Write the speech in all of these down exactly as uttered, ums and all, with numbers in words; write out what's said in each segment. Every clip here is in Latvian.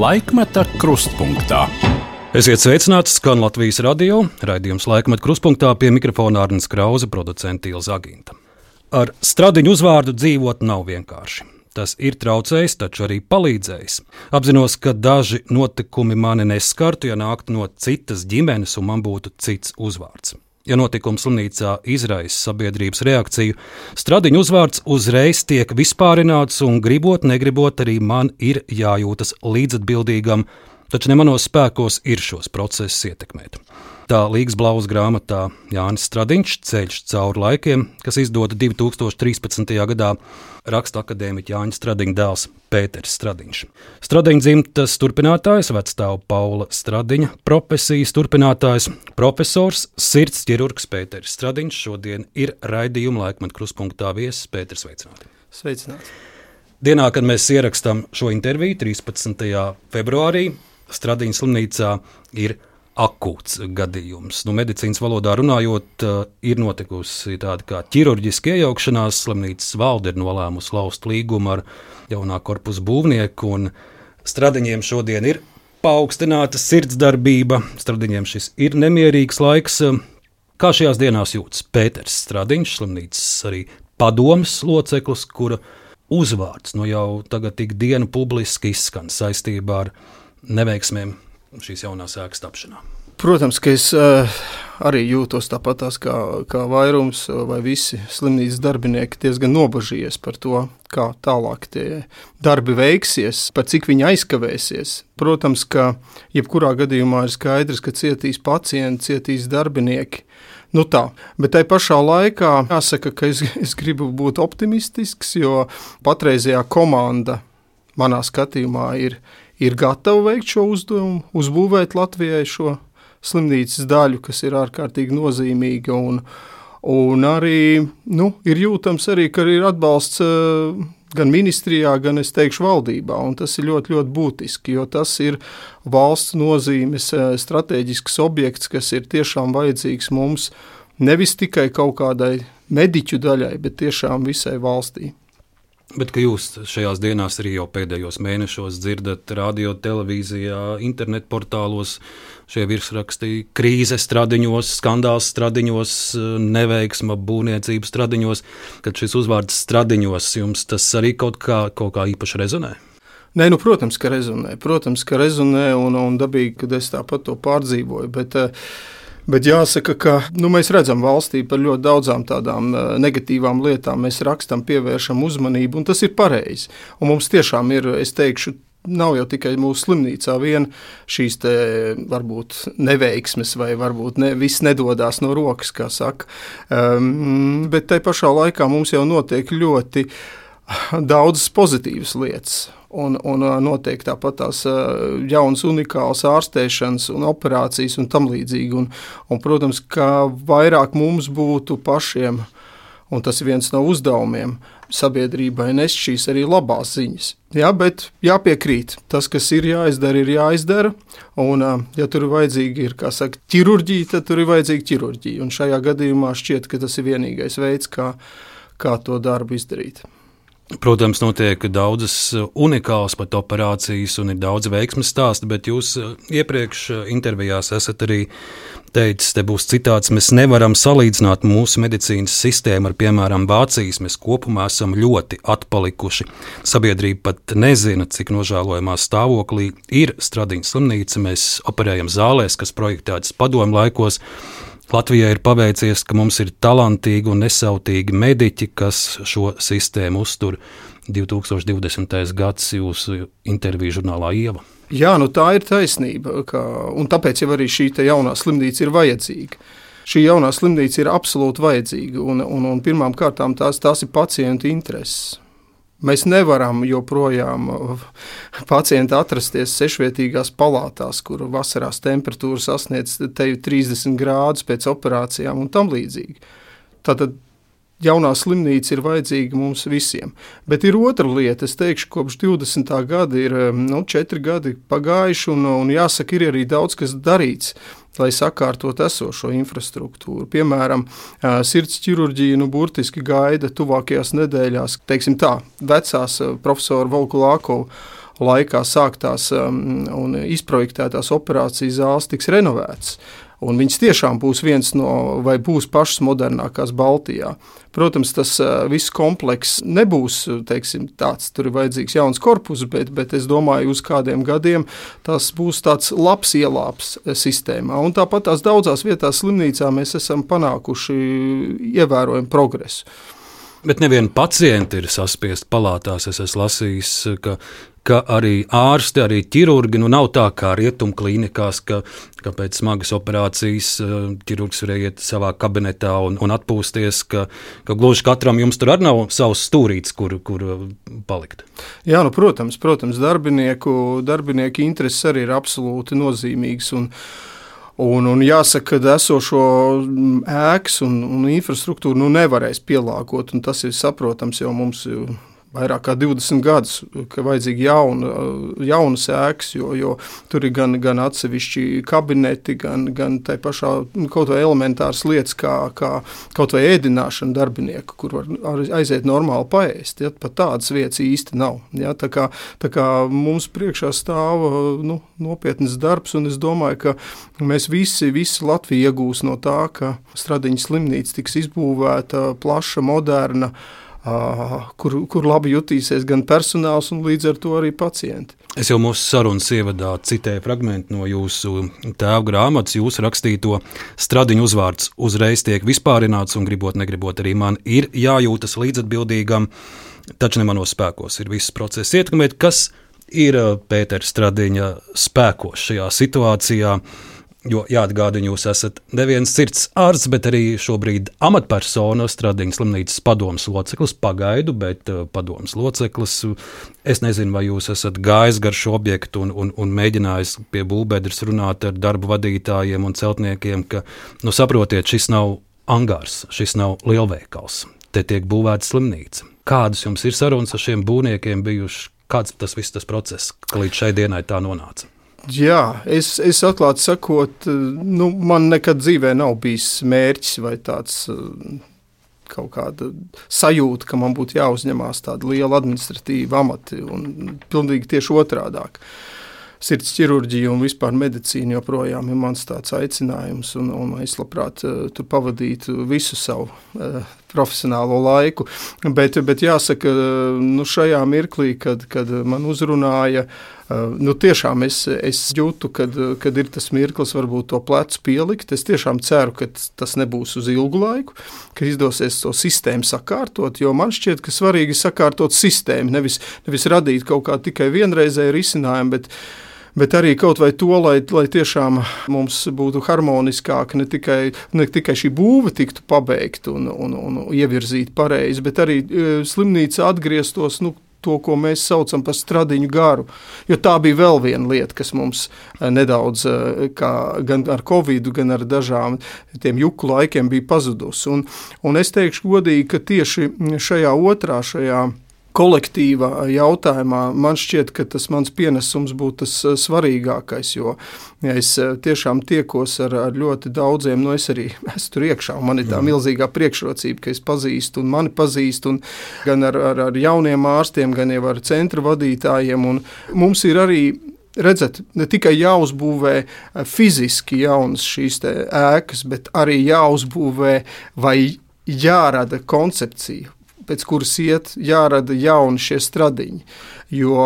Laikmeta krustpunktā. Esiet sveicināti, skan Latvijas radio, raidījums Laikmeta krustpunktā, pie mikrofona Arnis Krauze, producente Ilza Aginta. Ar Stradiņu uzvārdu dzīvot nav vienkārši. Tas ir traucējis, taču arī palīdzējis. Apzinos, ka daži notikumi mani neskartu, ja nāktu no citas ģimenes un man būtu cits uzvārds. Ja notikums slimnīcā izraisa sabiedrības reakciju, Stradiņu uzvārds uzreiz tiek vispārināts un gribot, negribot arī man ir jājūtas līdzatbildīgam, taču ne manos spēkos ir šos procesus ietekmēt. Tā Līgas Blauzas grāmatā Jānis Stradiņš Ceļš cauri laikiem, kas izdota divi tūkstoši trīspadsmitajā gadā, raksta akadēmiķa Jāņa Stradiņa dēls Pēters Stradiņš. Stradiņa dzimtas turpinātājs, vecstāva Paula Stradiņa, profesijas turpinātājs, profesors, sirds ķirurgs Pēters Stradiņš šodien ir raidījuma Laikmeta krustpunktā viesis. Pēters, sveicināti. Sveicināti. Dienā, kad mēs ierakstām šo interviju, trīspadsmitajā februārī, Stradiņa slimnīcā ir akūts gadījums. Nu, medicīnas valodā runājot, ir notikusi tāda kā ķirurģiska iejaukšanās. Slimnīcas valde ir nolēmusi laust līgumu ar jaunā korpusa būvnieku, un Stradiņiem šodien ir paaugstināta sirdsdarbība. Stradiņiem šis ir nemierīgs laiks. Kā šajās dienās jūtas Pēters Stradiņš, slimnīcas arī padomes loceklis, kura uzvārds nu jau tagad tik dienu publiski izskan saistībā ar neveiksmēm šīs jaunās ēkas tapšanā? Protams, ka es uh, arī jūtos tāpatās kā, kā vairums vai visi slimnīcas darbinieki diezgan nobažījies par to, kā tālāk tie darbi veiksies, par cik viņi aizkavēsies. Protams, ka jebkurā gadījumā ir skaidrs, ka cietīs pacienti, cietīs darbinieki. Nu tā, bet tai pašā laikā jāsaka, ka es, es gribu būt optimistisks, jo patreizējā komanda manā skatījumā ir ir gatava veikt šo uzdevumu, uzbūvēt Latvijai šo slimnīcas daļu, kas ir ārkārtīgi nozīmīga, un, un arī, nu, ir jūtams arī, ka ir atbalsts uh, gan ministrijā, gan, es teikšu, valdībā, un tas ir ļoti, ļoti būtiski, jo tas ir valsts nozīmes uh, strateģisks objekts, kas ir tiešām vajadzīgs mums nevis tikai kaut kādai mediķu daļai, bet tiešām visai valstī. Bet ka jūs šajās dienās arī jau pēdējos mēnešos dzirdat radio, televīzijā, internet portālos šie virsraksti krīze Stradiņos, skandāls Stradiņos, neveiksma būvniecības Stradiņos, kad šis uzvārds Stradiņos jums tas arī kaut kā, kaut kā īpaši rezonē? Nē, nu, protams, ka rezonē, protams, ka rezonē un, un dabīgi, kad es tāpat to pārdzīvoju, bet Bet jāsaka, ka nu, mēs redzam valstī par ļoti daudzām tādām negatīvām lietām, mēs rakstam, pievēršam uzmanību, un tas ir pareizi. Un mums tiešām ir, es teikšu, nav jau tikai mūsu slimnīcā vien šīs te varbūt neveiksmes vai varbūt ne, viss nedodās no rokas, kā saka. Um, bet tai pašā laikā mums jau notiek ļoti daudzas pozitīvas lietas. Un, un notiek tāpat tās jaunas unikālas ārstēšanas un operācijas un tam līdzīgi. Un, un, protams, ka vairāk mums būtu pašiem, un tas ir viens no uzdevumiem, sabiedrībai nest šīs arī labās ziņas. Jā, bet jāpiekrīt, tas, kas ir jāizdara, ir jāizdara, un ja tur ir vajadzīga, ir, kā saka, ķirurģija, tad tur ir vajadzīga ķirurģija. Un šajā gadījumā šķiet, ka tas ir vienīgais veids, kā, kā to darbu izdarīt. Protams, notiek daudzas unikālas pat operācijas un ir daudz veiksmes stāsti, bet jūs iepriekš intervijās esat arī teicis, te būs citāts, mēs nevaram salīdzināt mūsu medicīnas sistēmu ar, piemēram, Vācijas. Mēs kopumā esam ļoti atpalikuši. Sabiedrība pat nezina, cik nožēlojamā stāvoklī ir Stradiņa slimnīca. Mēs operējam zālēs, kas projektētas padomju laikos. Latvijai ir paveicies, ka mums ir talantīgi un nesautīgi mediķi, kas šo sistēmu uztur. divi tūkstoši divdesmitais gads jūsu interviju žurnālā Ieva. Jā, nu tā ir taisnība, ka, un tāpēc jau arī šī jaunā slimnīca ir vajadzīga. Šī jaunā slimnīca ir absolūti vajadzīga, un, un, un pirmām kārtām tās, tās ir pacientu intereses. Mēs nevaram joprojām pacienti atrasties sešvietīgās palātās, kur vasarās temperatūra sasniedz teju trīsdesmit grādus pēc operācijām un tam līdzīgi. Tātad jaunā slimnīca ir vajadzīga mums visiem. Bet ir otra lieta, es teikšu, kopš divdesmitā gada ir nu, četri gadi pagājuši, un, un jāsaka, ir arī daudz kas darīts, lai sakārtot esošo infrastruktūru. Piemēram, sirds ķirurģija nu, burtiski gaida tuvākajās nedēļās, teiksim tā, vecās profesora Volkulākova laikā sāktās un izprojektētās operācijas zāles tiks renovētas. Un viņas tiešām būs viens no, vai būs pašas modernākās Baltijā. Protams, tas viss komplekss nebūs, teiksim, tāds, tur ir vajadzīgs jauns korpus, bet, bet es domāju, uz kādiem gadiem tas būs tāds labs ielāps sistēmā. Un tāpat tās daudzās vietās slimnīcā mēs esam panākuši ievērojumu progresu. Bet nevieni pacienti ir saspiesti palātās. Es esmu lasījis, ka, ka arī ārsti, arī ķirurgi, nu nav tā kā rietumu klīnikās, ka, ka pēc smagas operācijas ķirurgs varēja iet savā kabinetā un, un atpūsties, ka, ka gluži katram jums tur arī nav savs stūrīts, kur, kur palikt. Jā, nu, protams, protams, darbinieku, darbinieku intereses arī ir absolūti nozīmīgas un Un, un jāsaka, ka esošo ēkas un, un infrastruktūru nu, nevarēs pielāgot, un tas ir saprotams, jo mums vairāk kā divdesmit gadus, ka vajadzīgi jauna, jaunas ēkas, jo, jo tur ir gan, gan atsevišķi kabineti, gan, gan tai pašā kaut vai elementāras lietas, kā, kā kaut vai ēdināšana darbinieku, kur var aiziet normāli paēst. Ja, pat tādas vietas īsti nav. Ja, tā, kā, tā kā mums priekšā stāv nu, nopietnas darbs, un es domāju, ka mēs visi, visi Latvija iegūs no tā, ka Stradiņas slimnīca tiks izbūvēta, plaša, moderna, Kur, kur labi jutīsies gan personāls un līdz ar to arī pacienti. Es jau mūsu sarunas ievadā citēju fragmentu no jūsu tēva grāmatas, jūsu rakstīto Stradiņu uzvārds uzreiz tiek vispārināts un gribot, negribot arī man ir jājūtas līdzatbildīgam, taču ne manos spēkos ir viss process ietekmēt. Kas ir Pētera Stradiņa spēkos šajā situācijā? Jo jāatgādina, jūs esat neviens sirds ārsts, bet arī šobrīd amatpersona, Stradiņas slimnīcas padomes loceklis, pagaidu, bet uh, padomes loceklis. Es nezinu, vai jūs esat gājis gar šo objektu un, un, un mēģinājis pie būvbedres runāt ar darbu vadītājiem un celtniekiem, ka, nu saprotiet, šis nav angārs, šis nav lielveikals, te tiek būvēta slimnīca. Kādas jums ir sarunas ar šiem būvniekiem bijuši? Kāds tas viss tas process, ka līdz šai dienai tā nonāca? Jā, es, es atklāti sakot, nu, man nekad dzīvē nav bijis mērķis vai tāds kaut kāda sajūta, ka man būtu jāuzņemās tāda liela administratīva amati un pilnīgi tieši otrādāk. Sirds ķirurģija un vispār medicīna joprojām ir mans tāds aicinājums, un, un es labprāt tur pavadītu visu savu uh, profesionālo laiku. Bet, bet jāsaka, nu šajā mirklī, kad, kad man uzrunāja, uh, nu tiešām es, es jūtu, kad, kad ir tas mirklis varbūt to plecu pielikt. Es tiešām ceru, ka tas nebūs uz ilgu laiku, ka izdosies to sistēmu sakārtot, jo man šķiet, ka svarīgi sakārtot sistēmu, nevis, nevis radīt kaut kā tikai vienreizēju risinājumu, bet Bet arī kaut vai to, lai, lai tiešām mums būtu harmoniskāk, ne tikai, ne tikai šī būve tiktu pabeigta un, un, un ievirzīta pareizi, bet arī slimnīca atgrieztos, nu, to, ko mēs saucam par Stradiņu garu. Jo tā bija vēl viena lieta, kas mums nedaudz, kā, gan ar covidu, gan ar dažām tiem juku laikiem bija pazudusi. Un, un es teikšu godīgi, ka tieši šajā otrā, šajā kolektīvā jautājumā man šķiet, ka tas mans pienesums būtu tas svarīgākais, jo ja es tiešām tiekos ar, ar ļoti daudziem, nu es arī esmu tur iekšā, un man ir tā milzīgā priekšrocība, ka es pazīstu un mani pazīstu, un gan ar, ar, ar jauniem ārstiem, gan jau ar centra vadītājiem, un mums ir arī, redzat, ne tikai jāuzbūvē fiziski jaunas šīs te ēkas, bet arī jāuzbūvē vai jārada koncepcija, pēc kuras iet, jārada jauni šie stradiņi, jo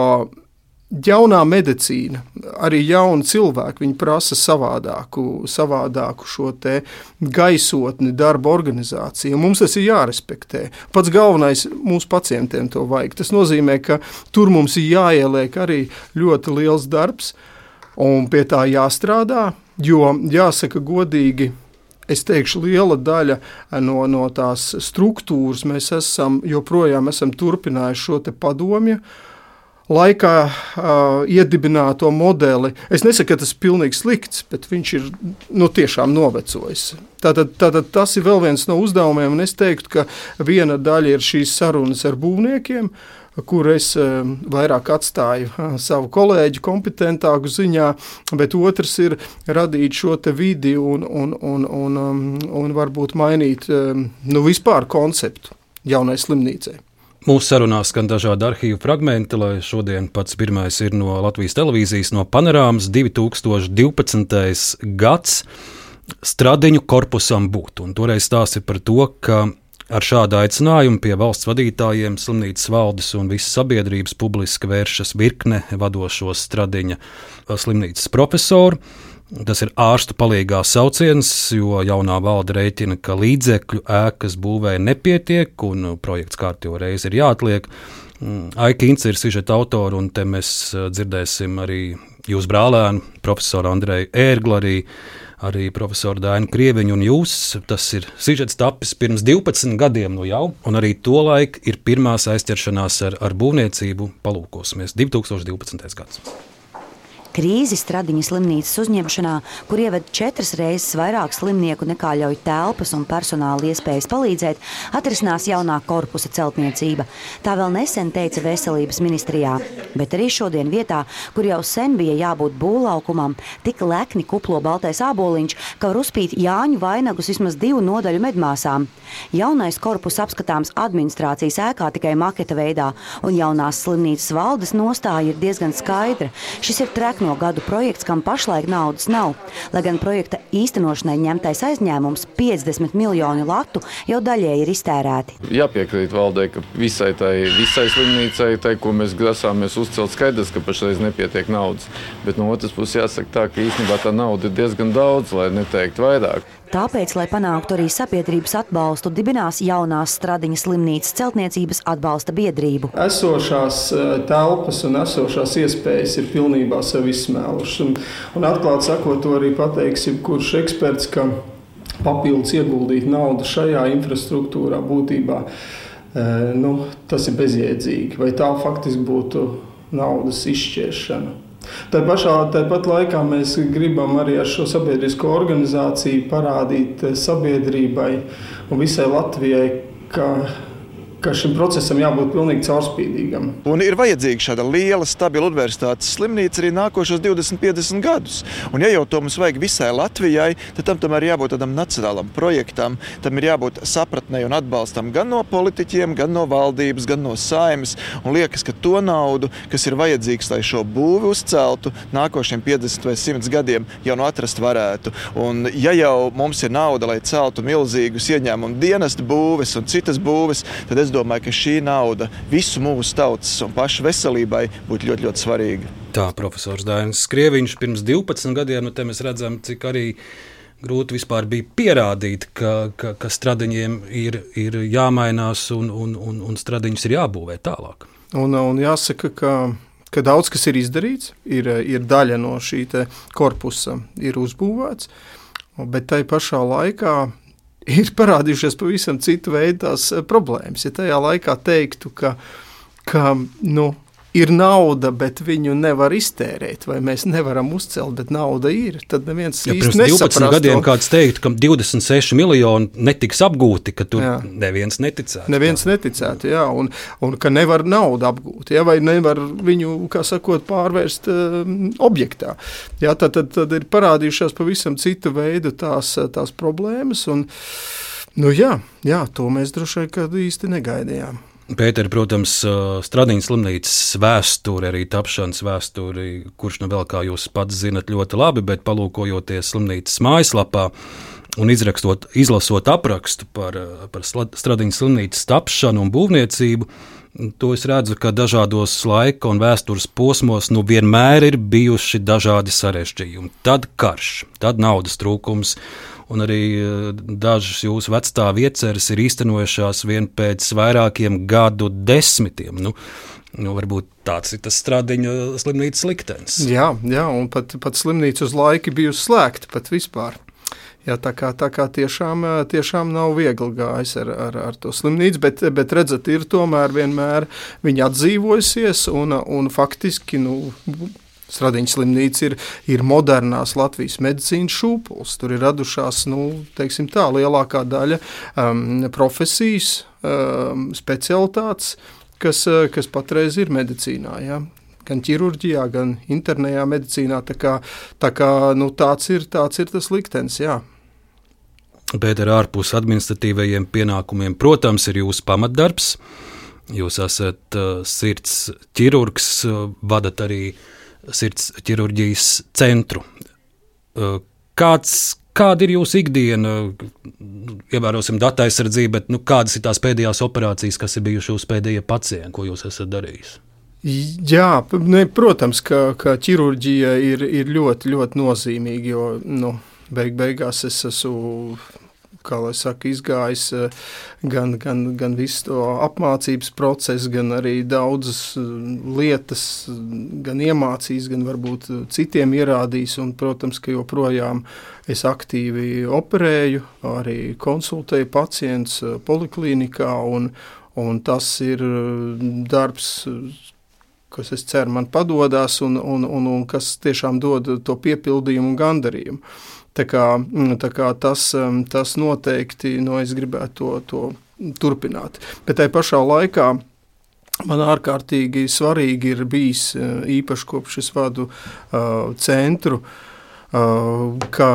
jaunā medicīna, arī jauni cilvēki, viņi prasa savādāku, savādāku šo te gaisotni darba organizāciju, un mums tas ir jārespektē. Pats galvenais mūsu pacientiem to vajag. Tas nozīmē, ka tur mums ir jāieliek arī ļoti liels darbs, un pie tā jāstrādā, jo jāsaka godīgi, es teikšu, liela daļa no, no tās struktūras mēs esam, joprojām esam turpinājuši šo te padomju laikā uh, iedibināto modeli. Es nesaku, ka tas ir pilnīgi slikts, bet viņš ir nu, tiešām novecojis. Tātad, tātad tas ir vēl viens no uzdevumiem, un es teiktu, ka viena daļa ir šīs sarunas ar būvniekiem, kur es uh, vairāk atstāju uh, savu kolēģu kompetentāku ziņā, bet otrs ir radīt šo te vidi un, un, un, un, um, un varbūt mainīt um, nu, vispār konceptu jaunai slimnīcai. Mūsu sarunā skan dažādi arhīvu fragmenti, lai šodien pats pirmais ir no Latvijas televīzijas, no Panorāmas divi tūkstoši divpadsmitais gads Stradiņu korpusam būt. Un toreiz stāsts ir par to, ka ar šādu aicinājumu pie valsts vadītājiem, slimnīcas valdes un visas sabiedrības publiski vēršas virkne vadošo Stradiņa slimnīcas profesoru. Tas ir ārstu palīgā sauciens, jo jaunā valde rēķina, ka līdzekļu ēkas būvē nepietiek un projekts kārtībā reizi ir jāatliek. Aika Ince ir sižeta autora, un te mēs dzirdēsim arī jūsu brālēnu, profesoru Andreju Ērglu, arī, arī profesoru Dainu Krieviņu un jūs. Tas ir sižets tapis pirms divpadsmit gadiem nu jau, un arī tolaik ir pirmās aizķeršanās ar, ar būvniecību. Palūkosimies, divi tūkstoši divpadsmitais gads. Krīzi Stradiņa slimnīcas uzņemšanā, kur ieved četras reizes vairāk slimnieku nekā ļauj telpas un personāla iespējas palīdzēt, atrisinās jaunā korpusa celtniecība. Tā vēl nesen teica Veselības ministrijā, bet arī šodien vietā, kur jau sen bija jābūt būvlaukumam, tik lekni kuplo baltais āboliņš, ka var uzpīt Jāņu vainagus vismaz divu nodaļu medmāsām. Jaunais korpus apskatāms administrācijas ēkā tikai maketa veidā, un jaunās slimnīcas valdes nostāja ir diezgan skaidra. Šis ir trek no gadu projekts, kam pašlaik naudas nav, lai gan projekta īstenošanai ņemtais aizņēmums piecdesmit miljoni latu jau daļēji ir iztērēti. Jāpiekrīt valdei, ka visai, tai, visai slimnīcai, tai, ko mēs grasāmies uzcelt, skaidrs, ka pašreiz nepietiek naudas. Bet no otras puses jāsaka tā, ka īstenībā tā nauda ir diezgan daudz, lai neteikt vairāk. Tāpēc, lai panāktu arī sabiedrības atbalstu, dibinās jaunās Stradiņa slimnīcas celtniecības atbalsta biedrību. Esošās telpas un esošās iespējas ir pilnībā sev izsmēlušas. Un, un atklāt sakot, to arī pateiks jebkurš eksperts, ka papildus ieguldīt naudu šajā infrastruktūrā būtībā, nu, tas ir bezjēdzīgi. Vai tā faktiski būtu naudas izšķiešana? Tā pašā, tāpat laikā mēs gribam arī ar šo sabiedrisko organizāciju parādīt sabiedrībai un visai Latvijai, ka, ka šim procesam jābūt pilnīgi caurspīdīgam. Un ir vajadzīga šāda liela, stabila universitātes slimnīca arī nākošos divdesmit, piecdesmit gadus. Un ja jau to mums vajag visai Latvijai, tad tam tomēr jābūt tādam nacionālam projektam, tam ir jābūt sapratnei un atbalstam gan no politiķiem, gan no valdības, gan no Saeimas. Un liekas, ka to naudu, kas ir vajadzīgs, lai šo būvi uzceltu nākošiem piecdesmit vai simt gadiem, jau no atrast varētu. Un ja jau mums ir nauda, lai celtu milzīgus ieņēmumu dienestu būves un citas būves, tad es Es domāju, ka šī nauda visu mūsu tautas un pašu veselībai būtu ļoti, ļoti svarīga. Tā profesors Dainis Krieviņš pirms divpadsmit gadiem, nu te mēs redzam, cik arī grūti vispār bija pierādīt, ka, ka, ka Stradiņiem ir, ir jāmainās un, un, un, un Stradiņus ir jābūvē tālāk. Un, un jāsaka, ka, ka daudz kas ir izdarīts, ir, ir daļa no šī te korpusa ir uzbūvēts, bet tai pašā laikā ir parādījušies pavisam citu veidu tās problēmas. Ja tajā laikā teiktu, ka, ka nu, ir nauda, bet viņu nevar iztērēt, vai mēs nevaram uzcelt, bet nauda ir, tad neviens ja, īsti nesaprastu. Pirms divpadsmit gadiem kāds teikt, ka divdesmit seši miljoni netiks apgūti, ka tur jā. neviens neticētu. Neviens tā. neticētu, jā, un, un ka nevar naudu apgūt, jā, vai nevar viņu, kā sakot, pārvērst um, objektā. Jā, tad, tad, tad ir parādījušās pavisam citu veidu tās, tās problēmas, un, nu jā, jā, to mēs droši vien kādu īsti negaidījām. Pēteri, protams, Stradiņa slimnīcas vēsturi, arī tapšanas vēsturi, kurš nu vēl, kā jūs pats zinat ļoti labi, bet palūkojoties slimnīcas mājaslapā un izrakstot, izlasot aprakstu par, par Stradiņa slimnīcas tapšanu un būvniecību, to es redzu, ka dažādos laika un vēstures posmos nu vienmēr ir bijuši dažādi sarežģījumi. Tad karš, tad naudas trūkums, un arī dažas jūsu vecstāvu ieceres ir īstenojušās vien pēc vairākiem gadu desmitiem. Nu, nu, varbūt tāds ir tas Stradiņa slimnīcas liktenis. Jā, jā, un pat, pat slimnīca uz laiku bijusi slēgta pat vispār. Jā, tā kā, tā kā tiešām, tiešām nav viegli gājis ar, ar, ar to slimnīcu, bet, bet redzat, ir tomēr vienmēr viņa atdzīvojusies un, un faktiski, nu, Stradiņa slimnīca ir, ir modernās Latvijas medicīnas šūpuls. Tur ir radušās, nu, teiksim tā, lielākā daļa um, profesijas, um, specialitātes, kas, kas patreiz ir medicīnā, jā. Gan ķirurģijā, gan internējā medicīnā, tā kā, tā kā nu, tāds, ir, tāds ir tas liktenis, jā. Bet ar ārpus administratīvajiem pienākumiem, protams, ir jūsu pamatdarbs. Jūs esat uh, sirds ķirurgs, uh, vadat arī sirds ķirurģijas centru. Uh, kāds, kāda ir jūsu ikdiena? Ievērosim datu aizsardzību, bet nu, kādas ir tās pēdējās operācijas, kas ir bijuši jūsu pēdējie pacienti, ko jūs esat darījis? Jā, ne, protams, ka, ka ķirurģija ir, ir ļoti, ļoti nozīmīga, jo nu, beig beigās es esmu, kā lai saka, izgājis gan, gan, gan visu to apmācības procesu, gan arī daudzas lietas, gan iemācījis, gan varbūt citiem ierādījis, un, protams, ka joprojām es aktīvi operēju, arī konsultēju pacientus poliklīnikā, un, un tas ir darbs, kas, es ceru, man padodas un, un, un, un kas tiešām dod to piepildījumu un gandarījumu. Tā kā, tā kā tas, tas noteikti, no es gribētu to, to turpināt. Bet tai pašā laikā man ārkārtīgi svarīgi ir bijis, īpaši kopš es vadu uh, centru, uh, ka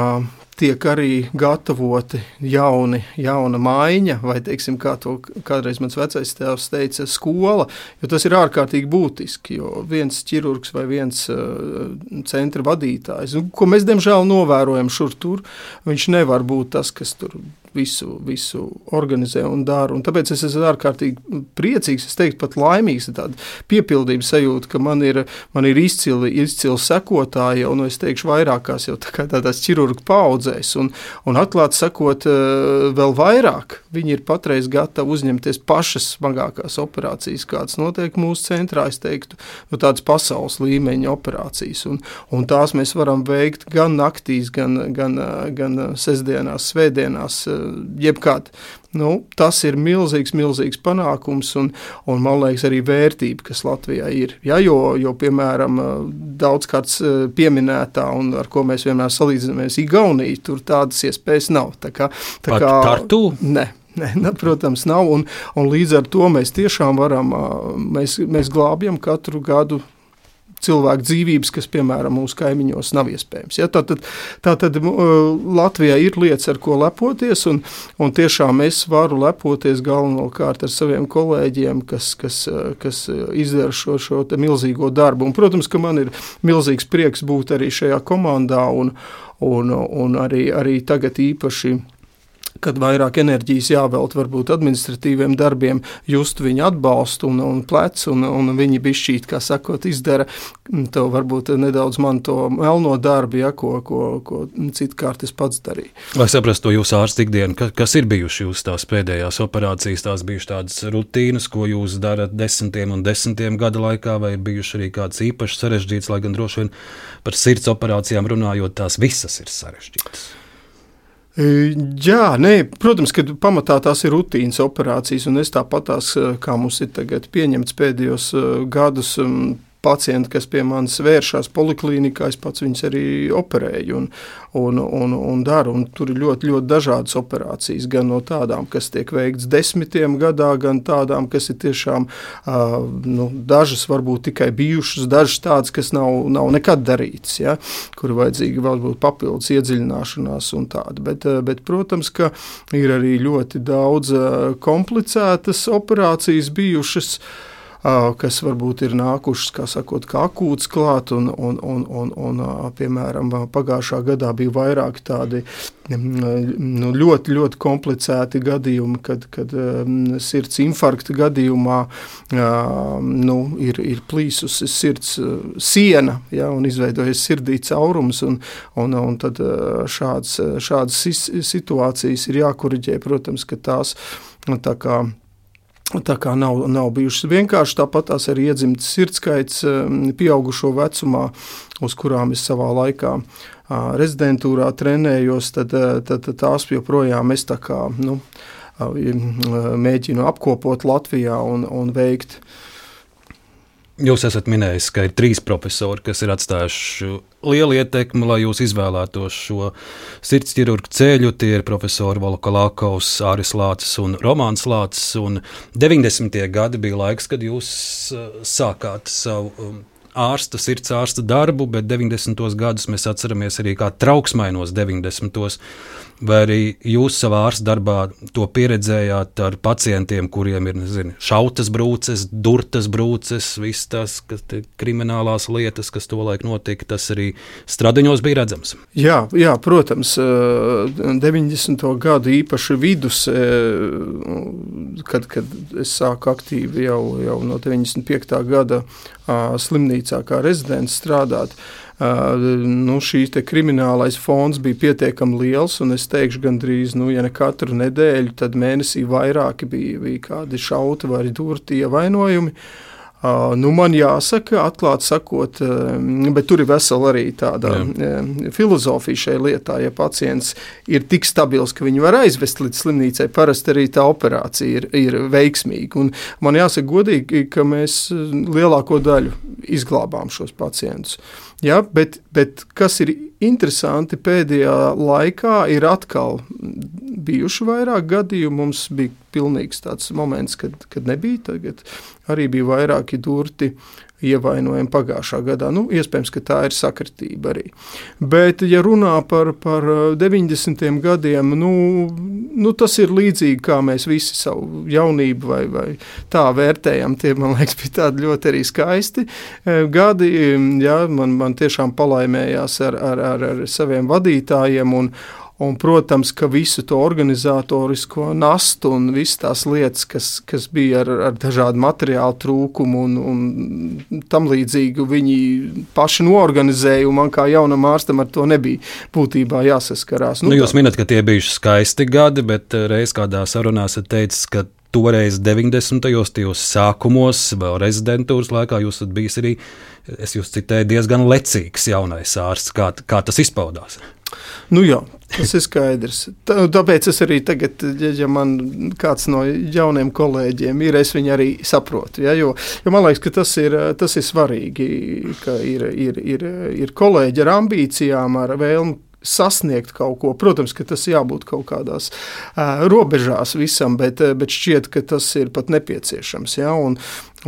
tiek arī gatavoti jauni, jauna maiņa, vai, teiksim, kā to kādreiz mans vecais tēvs teica, skola, jo tas ir ārkārtīgi būtiski, jo viens ķirurgs vai viens uh, centra vadītājs, nu, ko mēs, diemžēl, novērojam šur tur, viņš nevar būt tas, kas tur visu, visu organizē un dara, un tāpēc es esmu ārkārtīgi priecīgs, es teiktu pat laimīgs, tāda piepildības sajūta, ka man ir, man ir izcili, izcili sekotāji, un es teikšu vairākās jau tā kā tādās ķirurgu paudzēs, un, un atklāt sakot vēl vairāk, viņi ir patreiz gatavi uzņemties pašas smagākās operācijas, kādas notiek mūsu centrā, es teiktu, nu, tādas pasaules līmeņa operācijas, un, un tās mēs varam veikt gan naktīs, gan, gan, gan sestdienās, svētdienās, jebkād. Nu, tas ir milzīgs, milzīgs panākums un, un, man liekas, arī vērtība, kas Latvijā ir. Ja, jo, jo, piemēram, daudzkārt pieminētā un ar ko mēs vienmēr salīdzinamies Igauniju, tur tādas iespējas nav. Tā kā, tā kā, Tartu? Ne. Ne, ne, protams, nav, un, un līdz ar to mēs tiešām varam, mēs, mēs glābjam katru gadu cilvēku dzīvības, kas, piemēram, mūsu kaimiņos nav iespējams. Ja, tātad, tātad Latvijā ir lietas, ar ko lepoties, un, un tiešām es varu lepoties galvenokārt ar saviem kolēģiem, kas, kas, kas izdara šo, šo te milzīgo darbu. Un, protams, ka man ir milzīgs prieks būt arī šajā komandā, un, un, un arī, arī tagad īpaši, kad vairāk enerģijas jāvelt varbūt administratīviem darbiem, just viņu atbalstu un, un plec, un, un viņi bišķīt, kā sakot, izdara to varbūt nedaudz man to melno darbu, ja, ko, ko, ko citkārt es pats darīju. Lai saprastu to jūsu ārsta ikdienu, ka, kas ir bijuši jūs tās pēdējās operācijas, tās bijuši tādas rutīnas, ko jūs darat desmitiem un desmitiem gada laikā, vai ir bijuši arī kāds īpaši sarežģīts, lai gan droši vien par sirds operācijām runājot, tās visas ir sarežģītas? Jā, nē, protams, ka pamatā tās ir rutīnas operācijas, un es tāpatās, kā mums ir tagad pieņemts pēdējos gadus, pacienti, kas pie manis vēršās poliklīnikā, es pats viņus arī operēju un, un, un, un daru, un tur ir ļoti, ļoti dažādas operācijas, gan no tādām, kas tiek veikts desmitiem gadā, gan tādām, kas ir tiešām, uh, nu, dažas varbūt tikai bijušas, dažas tādas, kas nav, nav nekad darītas, ja, kur vajadzīga varbūt papildus iedziļināšanās un tāda, bet, bet, protams, ka ir arī ļoti daudz komplicētas operācijas bijušas, kas varbūt ir nākušas, kā sakot, kā akūts klāt, un, un, un, un, un piemēram, pagājušā gadā bija vairāk tādi nu, ļoti, ļoti komplicēti gadījumi, kad, kad sirds infarkta gadījumā nu, ir, ir plīsusi sirds siena, ja, un izveidojas sirdī caurums, un, un, un tad šāds, šādas situācijas ir jākoriģē, protams, ka tās tā kā Tā kā nav, nav bijušas vienkārši, tāpat tās arī iedzimtas sirdskaits pieaugušo vecumā, uz kurām es savā laikā rezidentūrā trenējos, tad, tad tās joprojām es tā kā, nu, mēģinu apkopot Latvijā un, un veikt. Jūs esat minējis, ka ir trīs profesori, kas ir atstājuši lielu ietekmi, lai jūs izvēlētos šo sirds ķirurgu ceļu. Tie ir profesori Volokolākovs, Āris Lācis un Romāns Lācis. Un deviņdesmitie gadi bija laiks, kad jūs sākāt savu ārsta, sirds ārsta darbu, bet deviņdesmitos gadus mēs atceramies arī kā trauksmainos deviņdesmitos. Vai arī jūs savā ārsta darbā to pieredzējāt ar pacientiem, kuriem ir nezinu, šautas brūces, durtas brūces, visas tās kas kriminālās lietas, kas tolaik notika, tas arī Stradiņos bija redzams? Jā, jā, protams, deviņdesmito gadu īpaši vidus, kad, kad es sāku aktīvi jau, jau no deviņdesmit piektā gada slimnīcā kā rezidents strādāt. Uh, nu, šīs te kriminālais fons bija pietiekami liels, un es teikšu gandrīz, nu, ja ne katru nedēļu, tad mēnesī vairāki bija, bija kādi šauti vai durti ievainojumi. Uh, nu, man jāsaka, atklāt sakot, uh, bet tur ir vesela arī tāda uh, filozofija šai lietā, ja pacients ir tik stabils, ka viņu var aizvest līdz slimnīcai, parasti arī tā operācija ir, ir veiksmīga. Un man jāsaka godīgi, ka mēs lielāko daļu izglābām šos pacientus. Ja, bet, bet kas ir interesanti, pēdējā laikā ir atkal bijuši vairāk gadījumu. Mums bija pilnīgs tāds moments, kad, kad nebija. Tagad arī bija vairāki durti ievainojumi pagājušā gadā. Nu, iespējams, ka tā ir sakritība arī. Bet, ja runā par, par deviņdesmitiem gadiem, nu, nu, tas ir līdzīgi, kā mēs visi savu jaunību vai, vai tā vērtējam. Tie, man liekas, bija tādi ļoti arī skaisti gadi. Jā, man, man tiešām palaimējās ar, ar, ar, ar saviem vadītājiem un Un, protams, ka visu to organizatorisko nastu un visas tās lietas, kas, kas bija ar, ar dažādu materiālu trūkumu un, un tam līdzīgu, viņi paši noorganizēja, un man kā jaunam ārstam ar to nebija būtībā jāsaskarās. Nu, nu, jūs minat, ka tie bijuši skaisti gadi, bet reiz kādā sarunā esat teicis, ka toreiz deviņdesmitajos tajos sākumos, vēl rezidentūras laikā, jūs esat bijis arī, es jūs citēju, diezgan lecīgs jaunais ārsts. Kā, kā tas izpaudās? Nu jā, tas ir skaidrs. Tā, tāpēc es arī tagad, ja, ja man kāds no jauniem kolēģiem ir, es viņu arī saprotu. Ja, jo, jo man liekas, ka tas ir, tas ir svarīgi, ka ir, ir, ir, ir kolēģi ar ambīcijām, ar vēlmu sasniegt kaut ko. Protams, ka tas jābūt kaut kādās uh, robežās visam, bet, bet šķiet, ka tas ir pat nepieciešams. Ja? Un,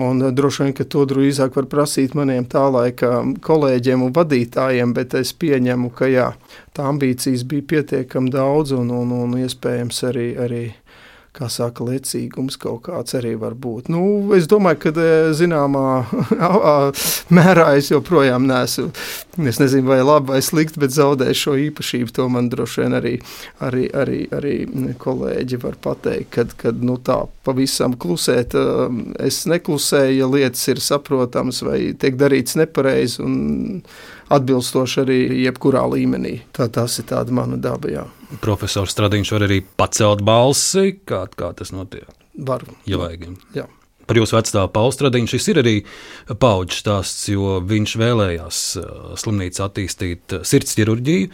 un droši vien, ka to drīzāk var prasīt maniem tā laika kolēģiem un vadītājiem, bet es pieņemu, ka jā, tā ambīcijas bija pietiekami daudz un, un, un iespējams arī, arī kā saka, lecīgums kaut kāds arī var būt. Nu, es domāju, ka zināmā mērā es joprojām neesmu, es nezinu, vai labi vai slikti, bet zaudēju šo īpašību. To man droši vien arī, arī, arī, arī kolēģi var pateikt, kad, kad nu, tā pavisam klusēt, es neklusēju, ja lietas ir saprotamas vai tiek darīts nepareizi un atbilstoši arī jebkurā līmenī. Tā tas ir tāda mana daba, jā. Profesors Stradiņš var arī pacelt balsi, kā, kā tas notiek? Var. Ja vajag. Jā. Par jūsu vecstāvu Paulu Stradiņu šis ir arī paudžu stāsts, jo viņš vēlējās slimnīcu attīstīt sirds ķirurģiju,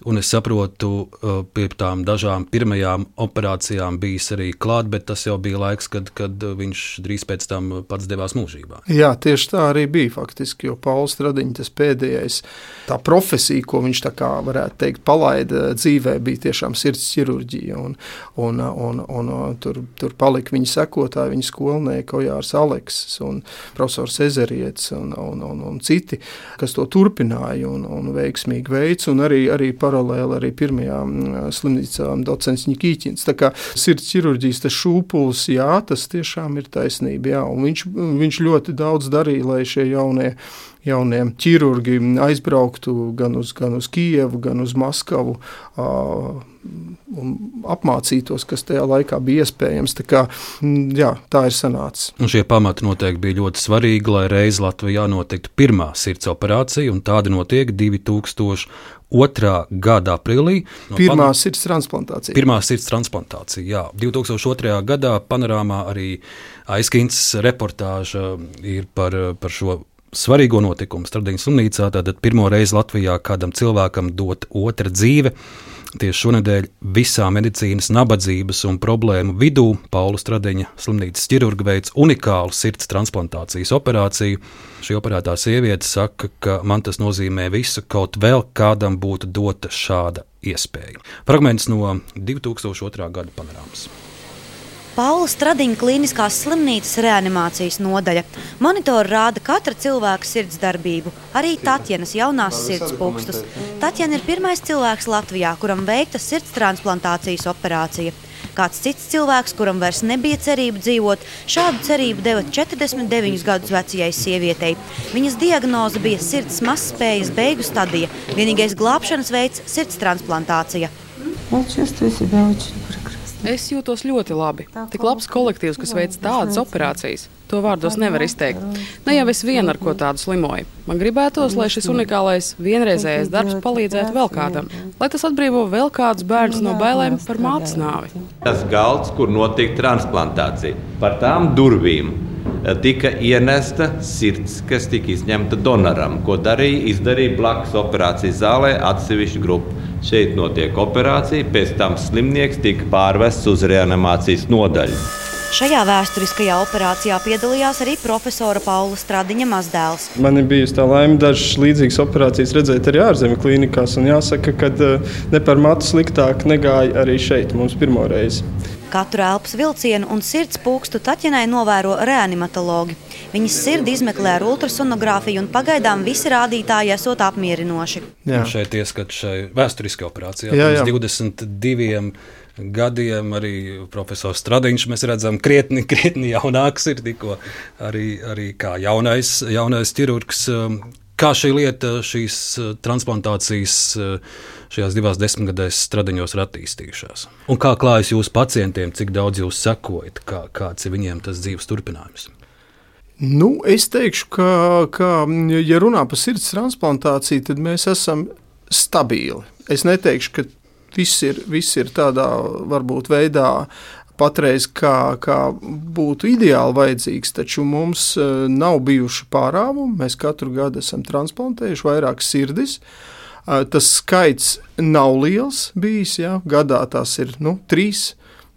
un es saprotu, pie tām dažām pirmajām operācijām bijis arī klāt, bet tas jau bija laiks, kad, kad viņš drīz pēc tam pats devās mūžībā. Jā, tieši tā arī bija faktiski, jo Paulu Stradiņu tas pēdējais, tā profesija, ko viņš tā kā varētu teikt palaida dzīvē, bija tiešām sirds ķirurģija, un, un, un, un, un tur, tur palika viņa sekotāji, viņa skolnieki, Jārs Aleksis un profesors Ezerietis un, un, un, un citi, kas to turpināja un, un veiksmīgi veids, un arī, arī paralēli arī pirmajām slimnīcām docents Nikīķins. Tā kā sirds ķirurģijas tas šūpulis, jā, tas tiešām ir taisnība, jā, un viņš, viņš ļoti daudz darīja, lai šie jaunie jaunie ķirurgi aizbrauktu gan uz, gan uz Kijevu, gan uz Maskavu uh, un apmācītos, kas tajā laikā bija iespējams. Tā kā, jā, tā ir sanācis. Un šie pamati noteikti bija ļoti svarīgi, lai reiz Latvijā notiktu pirmā sirds operācija, un tāda notiek divi tūkstoši otrā gada aprīlī. No pirmā pan... sirds transplantācija. Pirmā sirds transplantācija, jā. divi tūkstoši otrajā gadā Panorāmā arī Aizkins reportāža ir par, par šo svarīgo notikumu Stradiņas slimnīcā. Tātad pirmo reizi Latvijā kādam cilvēkam dot otra dzīve. Tieši šonedēļ visā medicīnas nabadzības un problēmu vidū Paula Stradiņa slimnīcas ķirurga veids unikālu sirds transplantācijas operāciju. Šī operētā sieviete saka, ka man tas nozīmē visu, kaut vēl kādam būtu dota šāda iespēja. Fragments no divi tūkstoši otrā gada Panorāmas. Paula Stradiņa klīniskās slimnīcas reanimācijas nodaļa. Monitori rāda katra cilvēka sirds darbību, arī Tatjanas jaunās sirds pūkstus. Tatjana ir pirmais cilvēks Latvijā, kuram veikta sirds transplantācijas operācija. Kāds cits cilvēks, kuram vairs nebija cerība dzīvot, šādu cerību deva četrdesmit deviņus gadus vecajai sievietei. Viņas diagnoze bija sirds mazspējas beigu stadija. Vienīgais glābšanas veids – sirds transplantācija. Es jūtos ļoti labi. Tik labs kolektīvs, kas veic tādas operācijas. To vārdos nevar izteikt. Ne jau es vien ar ko tādu slimoju. Man gribētos, lai šis unikālais vienreizējais darbs palīdzētu vēl kādam. Lai tas atbrīvo vēl kādus bērnus no bailēm par mātes nāvi. Tas galds, kur notika transplantācija, par tām durvīm tika ienesta sirds, kas tika izņemta donoram, ko darīja, izdarīja blakus operācijas zālē atsevišķu grupu. Šeit notiek operācija, pēc tam slimnieks tika pārvests uz reanimācijas nodaļu. Šajā vēsturiskajā operācijā piedalījās arī profesora Paula Stradiņa mazdēls. Man ir bijusi tā laime dažas līdzīgas operācijas redzēt arī ārzemju klīnikās, un jāsaka, ka ne par matu sliktāk negāja arī šeit mums pirmo reizi. Katru elpas vilcienu un sirds pūkstu Tatjanai novēro reanimatologi. Viņas sirdi izmeklē ar ultrasonogrāfiju un pagaidām visi rādītāji esot apmierinoši. Jā. Šeit ieskat šai vēsturiskajā operācijā. Jā, jā. Pirms divdesmit diviem gadiem arī profesors Stradiņš, mēs redzam, krietni, krietni jaunāks ir tikko arī, arī kā jaunais, jaunais ķirurgs. Kā šī lieta, šīs transplantācijas šajās divās desmitgadēs Stradiņos ir attīstījušās? Un kā klājas jūsu pacientiem, cik daudz jūs sekojat, kā, kāds ir viņiem tas dzīves turpinājums? Nu, es teikšu, ka, ka, ja runā par sirds transplantāciju, tad mēs esam stabili. Es neteikšu, ka viss ir, viss ir tādā varbūt veidā patreiz, kā, kā būtu ideāli vajadzīgs, taču mums nav bijuši pārāvumi. Mēs katru gadu esam transplantējuši vairākas sirdis. Tas skaits nav liels bijis, jā. Gadā tās ir nu, trīs.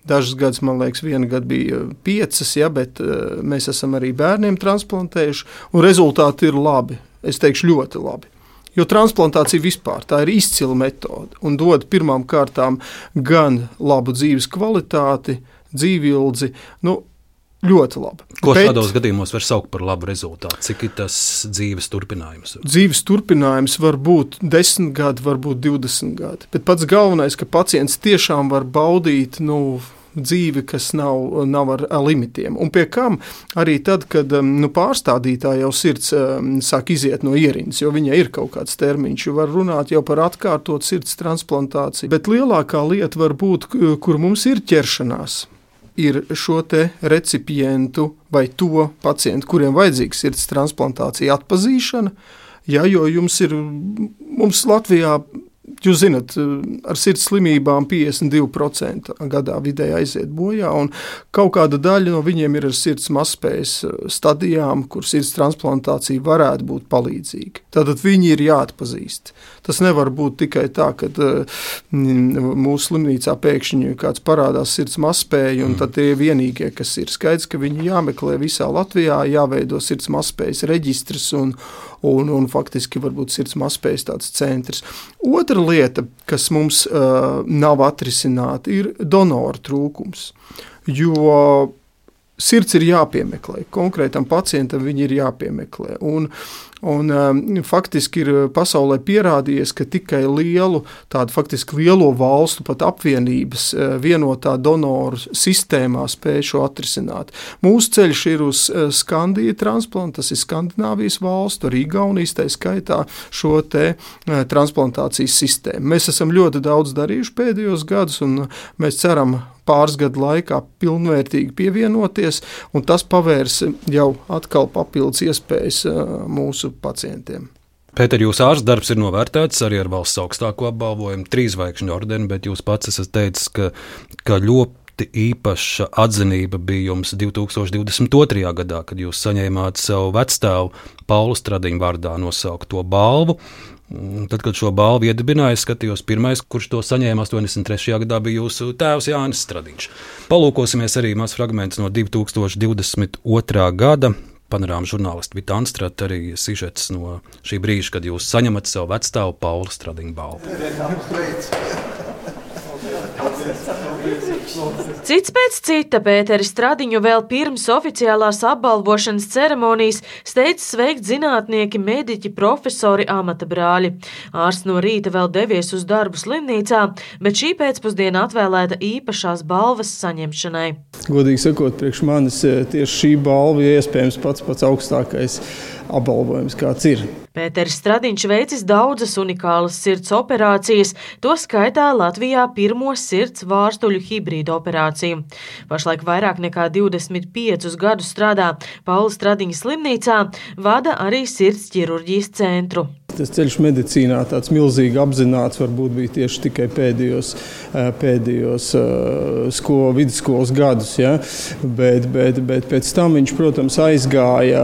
Dažas gadus, man liekas, viena gada bija piecas, ja, bet mēs esam arī bērniem transplantējuši, un rezultāti ir labi. Es teikšu ļoti labi. Jo transplantācija vispār tā ir izcila metode un dod pirmām kārtām gan labu dzīves kvalitāti, dzīvildzi, nu, ļoti labi. Ko Bet, šādos gadījumos var saukt par labu rezultātu? Cik ir tas dzīves turpinājums? Dzīves turpinājums var būt desmit gadi, var būt divdesmit gadi. Bet pats galvenais, ka pacients tiešām var baudīt, nu, dzīvi, kas nav, nav ar limitiem. Un pie kam arī tad, kad nu, pārstādītā jau sirds sāk iziet no ierindas, jo viņai ir kaut kāds termiņš, jo var runāt jau par atkārtot sirds transplantāciju. Bet lielākā lieta var būt, kur mums ir ķeršanās, ir šo te recipientu vai to pacientu, kuriem vajadzīga sirds transplantācija atpazīšana, ja, jo jums ir, mums Latvijā, jūs zināt, ar sirds slimībām piecdesmit divi procenti gadā vidēji aiziet bojā, un kaut kāda daļa no viņiem ir ar sirds mazspējas stadijām, kur sirds transplantācija varētu būt palīdzīga. Tātad viņi ir jāatpazīst. Tas nevar būt tikai tā, ka mūsu slimnīcā pēkšņi kāds parādās sirds mazspēja, un tad tie ir vienīgie, kas ir. Skaidrs, ka viņi jāmeklē visā Latvijā, jāveido sirds mazspējas reģistrs un, un, un faktiski varbūt sirds mazspējas tāds centrs. Otra lieta, kas mums uh, nav atrisināta, ir donoru trūkums, jo sirds ir jāpiemeklē, konkrētam pacientam viņi ir jāpiemeklē, un, un um, faktiski ir pasaulē pierādījies, ka tikai lielu, tādu faktiski lielo valstu pat apvienības uh, vienotā donoru sistēmā spēj šo atrisināt. Mūsu ceļš ir uz uh, Skandiju transplantu, tas ir Skandināvijas valstu, arī Igaunijas tā skaitā šo te uh, transplantācijas sistēmu. Mēs esam ļoti daudz darījuši pēdējos gadus, un mēs ceram pāris gadu laikā pilnvērtīgi pievienoties, un tas pavērs jau atkal papildus iespējas mūsu pacientiem. Pēter, jūsu ārsta darbs ir novērtēts arī ar valsts augstāko apbalvojumu, trīs zvaigžņu ordeni, bet jūs pats esat teicis, ka, ka ļoti īpaša atzinība bija jums divi tūkstoši divdesmit otrajā gadā, kad jūs saņēmāt savu vecstāvu Paulu Stradiņu vārdā nosaukto balvu. Tad, kad šo balvu iedibināja, es skatījos, pirmais, kurš to saņēma astoņdesmit trešajā gadā, bija jūsu tēvs Jānis Stradiņš. Palūkosimies arī maz fragments no divi tūkstoši divdesmit otrā gada. Panorāma žurnālisti Vita Anstrata, arī sižets no šī brīža, kad jūs saņemat savu vecstāvu Paulu Stradiņu balvu. Cits pēc cita Pēteris Stradiņu vēl pirms oficiālās apbalvošanas ceremonijas steidz sveikt zinātnieki, mediķi, profesori, amata brāļi. Ārsts no rīta vēl devies uz darbu slimnīcā, bet šī pēcpusdiena atvēlēta īpašās balvas saņemšanai. Godīgi sakot, priekš manis tieši šī balva ir iespējams pats pats augstākais apbalvojums, kāds ir. Pēteris Stradiņš veicis daudzas unikālas sirds operācijas, to skaitā Latvijā pirmo sirds vārstuļu hibrīdu operāciju. Pašlaik vairāk nekā divdesmit piecus gadus strādā Paula Stradiņa slimnīcā, vada arī sirds ķirurģijas centru. Tas ceļš medicīnā tāds milzīgi apzināts varbūt bija tieši tikai pēdējos, pēdējos sko, vidusskolas gadus, ja? bet, bet, bet pēc tam viņš, protams, aizgāja,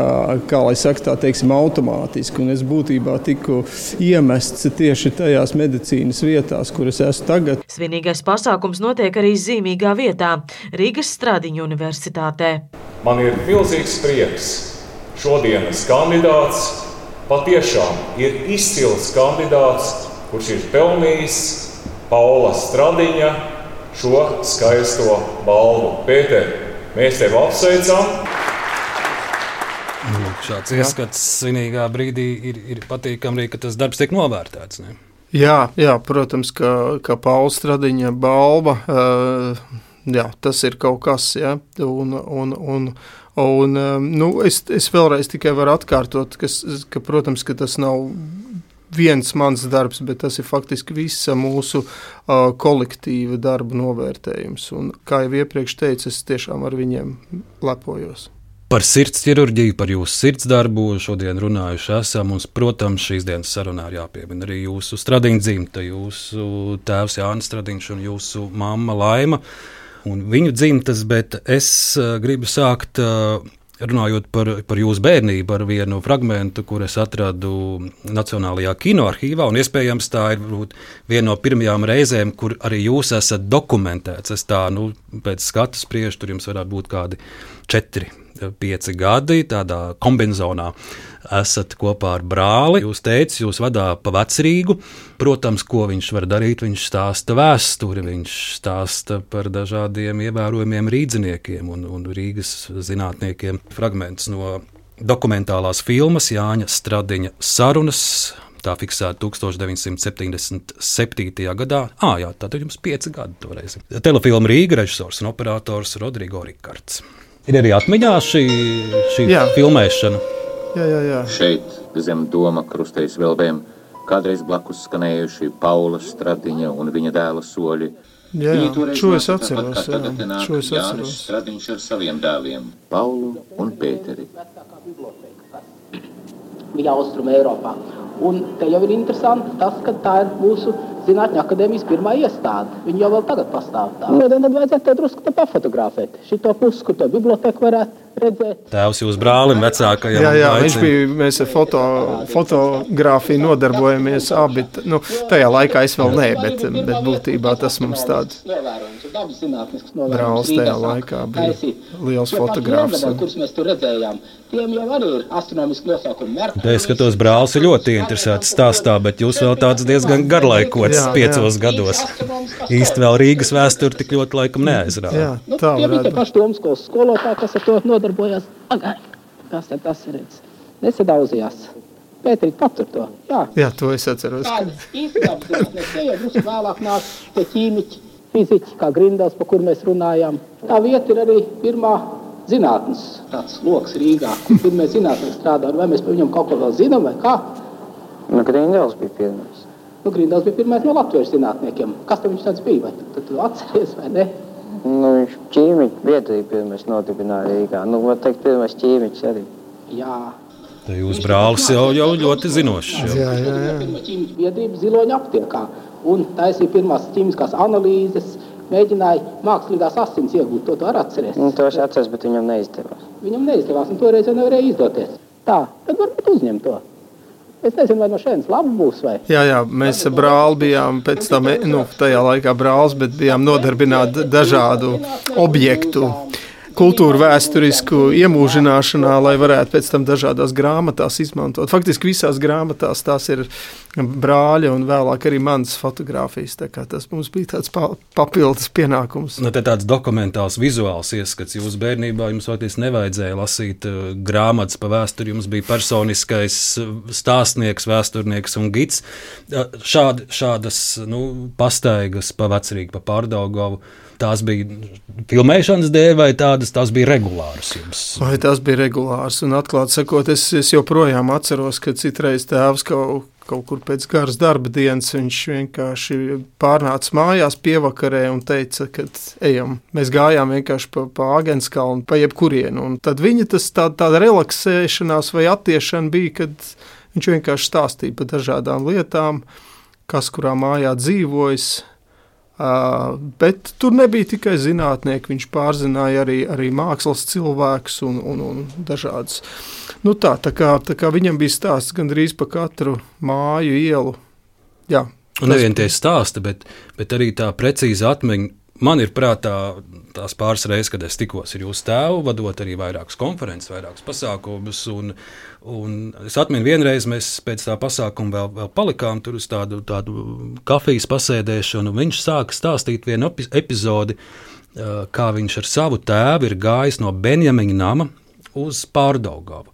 kā lai saka, tā teiksim, automātiski, un es būtībā tiku iemests tieši tajās medicīnas vietās, kur es esmu tagad. Svinīgais pasākums notiek arī zīmīgā vietā – Rīgas Stradiņu universitātē. Man ir milzīgs prieks šodienas kandidāts. Patiešām ir izcils kandidāts, kurš ir pelnījis Paula Stradiņa šo skaisto balvu. Pēter, mēs tevi apsveicam. Nu, šāds ieskats svinīgā brīdī ir, ir patīkami arī, ka tas darbs tiek novērtēts. Ne? Jā, jā, protams, ka, ka Paula Stradiņa balva, uh, jā, tas ir kaut kas, jā, un, un, un Un, nu, es, es vēlreiz tikai varu atkārtot, kas, ka, protams, ka tas nav viens mans darbs, bet tas ir faktiski visa mūsu uh, kolektīva darba novērtējums. Un, kā jau iepriekš teicu, es tiešām ar viņiem lepojos. Par sirds ķirurģiju, par jūsu sirds darbu šodien runājuši esam. Mums, protams, šīs dienas sarunā ir jāpiemina arī jūsu Stradiņa dzimta, jūsu tēvs Jānis Stradiņš un jūsu mamma Laima. Un viņu dzimtas, bet es uh, gribu sākt uh, runājot par, par jūsu bērnību ar vienu fragmentu, kur es atradu Nacionālajā kinoarhīvā, un iespējams tā ir viena no pirmajām reizēm, kur arī jūs esat dokumentēts. Es tā, nu, pēc skatu spriežu, tur jums varētu būt kādi četri, pieci gadi, tādā kombinzonā esat kopā ar brāli. Jūs teicat, jūs vadā pa Vecrīgu. Protams, ko viņš var darīt, viņš stāsta vēsturi, viņš stāsta par dažādiem ievērojumiem rīdziniekiem un, un Rīgas zinātniekiem. Fragments no dokumentālās filmas Jāņa Stradiņa sarunas. Tā fiksēta tūkstoš deviņsimt septiņdesmit septītajā gadā. Ā, jā, tātad jums pieci gadi toreiz. Telefilma Rīga režisors un operators Rodrigo Rikards. Ir arī atmiņā šī, šī filmēšana? Jā, jā, jā. Šeit, zem doma krustejas velbēm, kādreiz blakus skanējuši Paula Stradiņa un viņa dēla soļi. Jā, jā. Šo es atceros. Jā. Šo es atceros. Jānis Stradiņš ar saviem dēliem, Paulu un Pēteri. Bija Austrum Eiropā. Un te jau ir interesanti tas, ka tā ir mūsu Zinātņu akadēmijas pirmā iestāde. Viņi jau vēl tagad pastāv tā. Nu, tad vajadzētu to drusku te pafotografēt. Šito pusi, kur to biblioteku varētu redzēt. Tēvs jūs brālim vecākajam. Jā, jā, viņš bija, mēs ar foto, fotografiju nodarbojamies abi. Nu, tajā laikā es vēl nē, bet, bet būtībā tas mums tāds brālis tajā laikā bija liels fotogrāfs. Kurus mēs tur redzējām, tiem jau arī ir astronomiski nosaukumi. Te es skatos, brālis ir ļoti interesēts stāstā, bet jūs vēl tāds diezgan garlaikots jā, piecos jā. gados. Īsti vēl Rīgas vēsturi tik ļoti laikam neaizrāda. Jā, tā nu, varētu. Tie paši domskolas skolotāji, kas ar to nodarbojās. Agai, kas tad tas ir? Nesadaudzījās. Pēterīt patur to. Jā, jā to es atceros. Tā īsti apzinās. Te jau drusku vēlāk nāk tie ķīmiķi, fiziķi, kā Grindels, pa kur mēs runājām. Tā vieta ir arī pirmā zinātnes tāds loks Rīgā, kur pirmie zinātnieki strādā. Vai mēs par viņam kaut ko vēl zinām, vai kā? Nu, Grindels bija pirmais. Nu, Grindels bija pirmais no latviešu zinātniekiem. Kas tam viņš tāds bija? Vai tu, tu atceries, vai ne? Nu, viņš ķīmiķi biedrību pirmais nodibināja Rīgā. Nu, var teikt, pirmais ķīmiķis arī. Jā. Te jūs brālis jau, jau ļoti zinošs. Jā, jā, jā. Pirmā ķīmiķa biedrība Ziloņa aptiekā. Un taisīja pirmās ķīmiskās analīzes, mēģināja mākslīgās asins iegūt. To tu arī atceries. Nu, to es atceros, bet viņam neizdevās. Viņam neizdevās, un toreiz jau nevarēja izdoties. Tā, tad varbūt uzņem to. Es nezinu, vai no šeit labi būs, vai? Jā, jā, mēs ar brāli bijām pēc tam, nu, tajā laikā brālis, bet bijām nodarbināti dažādu objektu kultūru vēsturisku iemūžināšanā, lai varētu pēc tam dažādās grāmatās izmantot. Faktiski visās grāmatās tās ir brāļa un vēlāk arī manas fotogrāfijas. Tā kā tas mums bija tāds pa, papildus pienākums. Nu, te tāds dokumentāls, vizuāls ieskats. Jūsu bērnībā jums faktiski nevajadzēja lasīt uh, grāmatas pa vēsturi. Jums bija personiskais stāstnieks, vēsturnieks un gids. Uh, šād, šādas nu, pastaigas pa Vecrīgu, pa Pārdaugavu. Tās bija filmēšanas dēļ, vai tādas tās bija regulāras jums? Vai tās bija regulāras. Un atklāt sakot, es, es joprojām atceros, ka citreiz tēvs kaut, kaut kur pēc garas darba dienas viņš vienkārši pārnāca mājās pievakarē un teica, ka ejam. Mēs gājām vienkārši pa, pa Āgenskalnu, pa jebkurienu. Un tad viņa tas tā, tāda relaksēšanās vai attiešana bija, kad viņš vienkārši stāstīja par dažādām lietām, kas kurā mājā dzīvojas. Uh, bet tur nebija tikai zinātnieki, viņš pārzināja arī, arī mākslas cilvēkus un, un, un dažādas. Nu tā, tā, kā, tā kā viņam bija stāsts gandrīz pa katru māju, ielu. Jā, un nevien tie stāsti, bet, bet arī tā precīza atmiņa. Man ir prātā tās pāris reizes, kad es tikos ar jūsu tēvu, vadot arī vairākas konferences, vairākas pasākumus. Un, un es atminu, vienreiz mēs pēc tā pasākuma vēl, vēl palikām tur uz tādu, tādu kafijas pasēdēšanu. Viņš sāka stāstīt vienu epizodi, kā viņš ar savu tēvu ir gājis no Benjamiņa nama uz Pārdaugavu.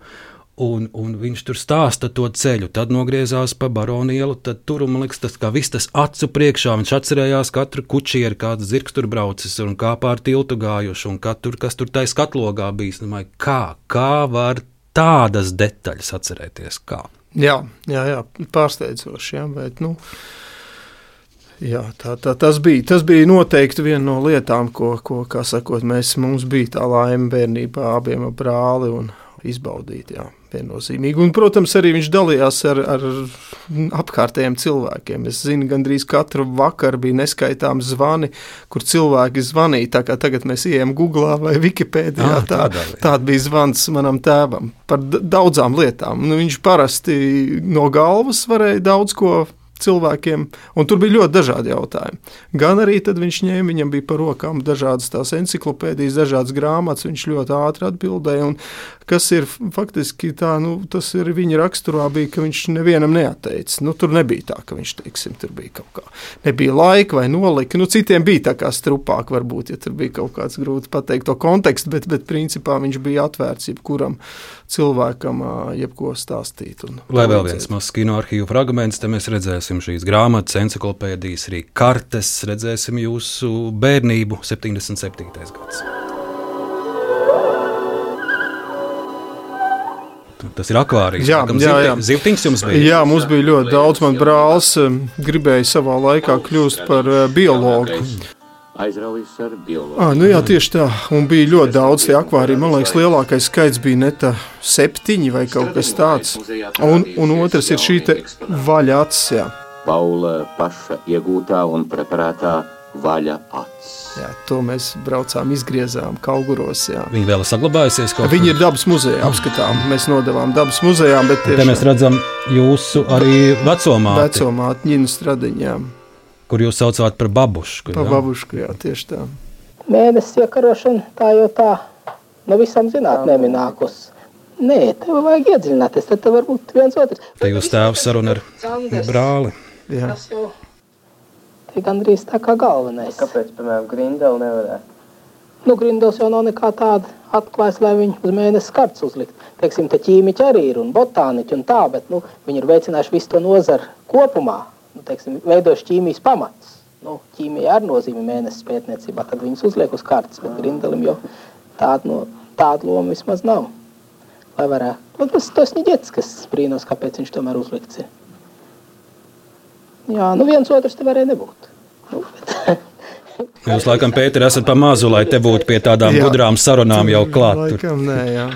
Un, un viņš tur stāsta to ceļu, tad nogriezās pa Baronielu, tad tur, man liekas, tas kā viss tas acu priekšā, viņš atcerējās katru kučieri, kāds zirgs tur braucis un kā pār tiltu gājuši, un katru, kas tur tai skatlogā bijis. Domāju, kā, kā var tādas detaļas atcerēties, kā? Jā, jā, jā, pārsteidzoši, jā, bet, nu, jā, tā, tā, tas bija, tas bija noteikti viena no lietām, ko, ko, kā sakot, mēs, mums bija tā laime bērnībā abiem ar brāli un izbaudīt, jā. Viennozīmīgi. Un, protams, arī viņš dalījās ar, ar apkārtējiem cilvēkiem. Es zinu, gandrīz katru vakaru bija neskaitāms zvani, kur cilvēki zvanīja. Tā kā tagad mēs ejam Googlā vai Wikipēdijā, ah, tā, tāda bija zvans manam tēvam par daudzām lietām. Nu, viņš parasti no galvas varēja daudz ko cilvēkiem, un tur bija ļoti dažādi jautājumi. Gan arī tad viņš ņēma, viņam bija par rokām dažādas tās enciklopēdijas, dažādas grāmatas, viņš ļoti ātri atbildēja, un kas ir faktiski tā, nu, tas ir viņa raksturā bija, ka viņš nevienam neatteica. Nu, tur nebija tā, ka viņš, teiksim, tur bija kaut kā, nebija laika vai nolika, nu, citiem bija tā kā strupāk varbūt, ja tur bija kaut kāds grūti pateikt to kontekstu, bet, bet principā viņš bija atvērts jebkuram cilvēkam jebko stāstīt. Un Lai vēl viens mazs kino arhīvu fragments, te mēs redzēsim šīs grāmatas, enciklopēdijas, arī kartes, redzēsim jūsu bērnību, septiņdesmit septītais gads. Tas ir akvārijas. Jā, jā, jā. Zivtiņš jums bija? Jā, mums bija ļoti daudz. Man brālis gribēja savā laikā kļūst par biologu. Aizraujas ar biologu. À, nu jā, tieši tā. Un bija ļoti daudz tie akvāriji. Man liekas, lielākais skaits bija neta septiņi vai kaut kas tāds. Un, un otrs ir šī te vaļa acis, jā. Paula paša iegūtā un preparētā vaļa acis. Jā, to mēs braucām, izgriezām Kauguros, jā. Viņi vēl ir saglabājusies kaut Viņi ir dabas muzejā, apskatām. Mēs nodevām dabas muzejā, bet tieši... Te mēs redzam jūsu arī vecomāti. Vecomāti Ņinu Stradiņām. Kur jūs saucāt par babušku. Par babušku, jā, tieši tā. Mēnesis iekarošana, tā jau tā, no visam zinātnēm ir nākus. Nē, tev vajag iedziļināties, tad tev var būt viens otrs. Te jūs tēvs saruna ar brāli. Jā. Tas jau te gandrīz tā kā galvenais. Kāpēc, piemēram, Grindeli nevarētu? Nu, Grindels jau nav nekā tāda atklājis, lai viņi uz mēnesi karts uzlikt. Teiksim, te ķīmiķi arī ir un botāniķi un tā, bet, nu, viņi ir veicinājuši visu to nozaru kopumā. Nu, teiksim, veidojuši ķīmijas pamats. Nu, ķīmija ar nozīmi mēnesis pētniecībā, tad viņas uzliek uz kartas, bet Grindelim jau tādu, no, tādu lomu vismaz nav. Lai varētu. Nu, tas tas Ņiģets, kas brīnos, kāpēc viņš tomēr uzlikts ir. Jā, nu viens otrs te varēja nebūt. Nu, bet... Jūs laikam, Pēter, esat pa mazu, lai te būtu pie tādām jā. Gudrām sarunām jau klāt. Laikam, nē, jā.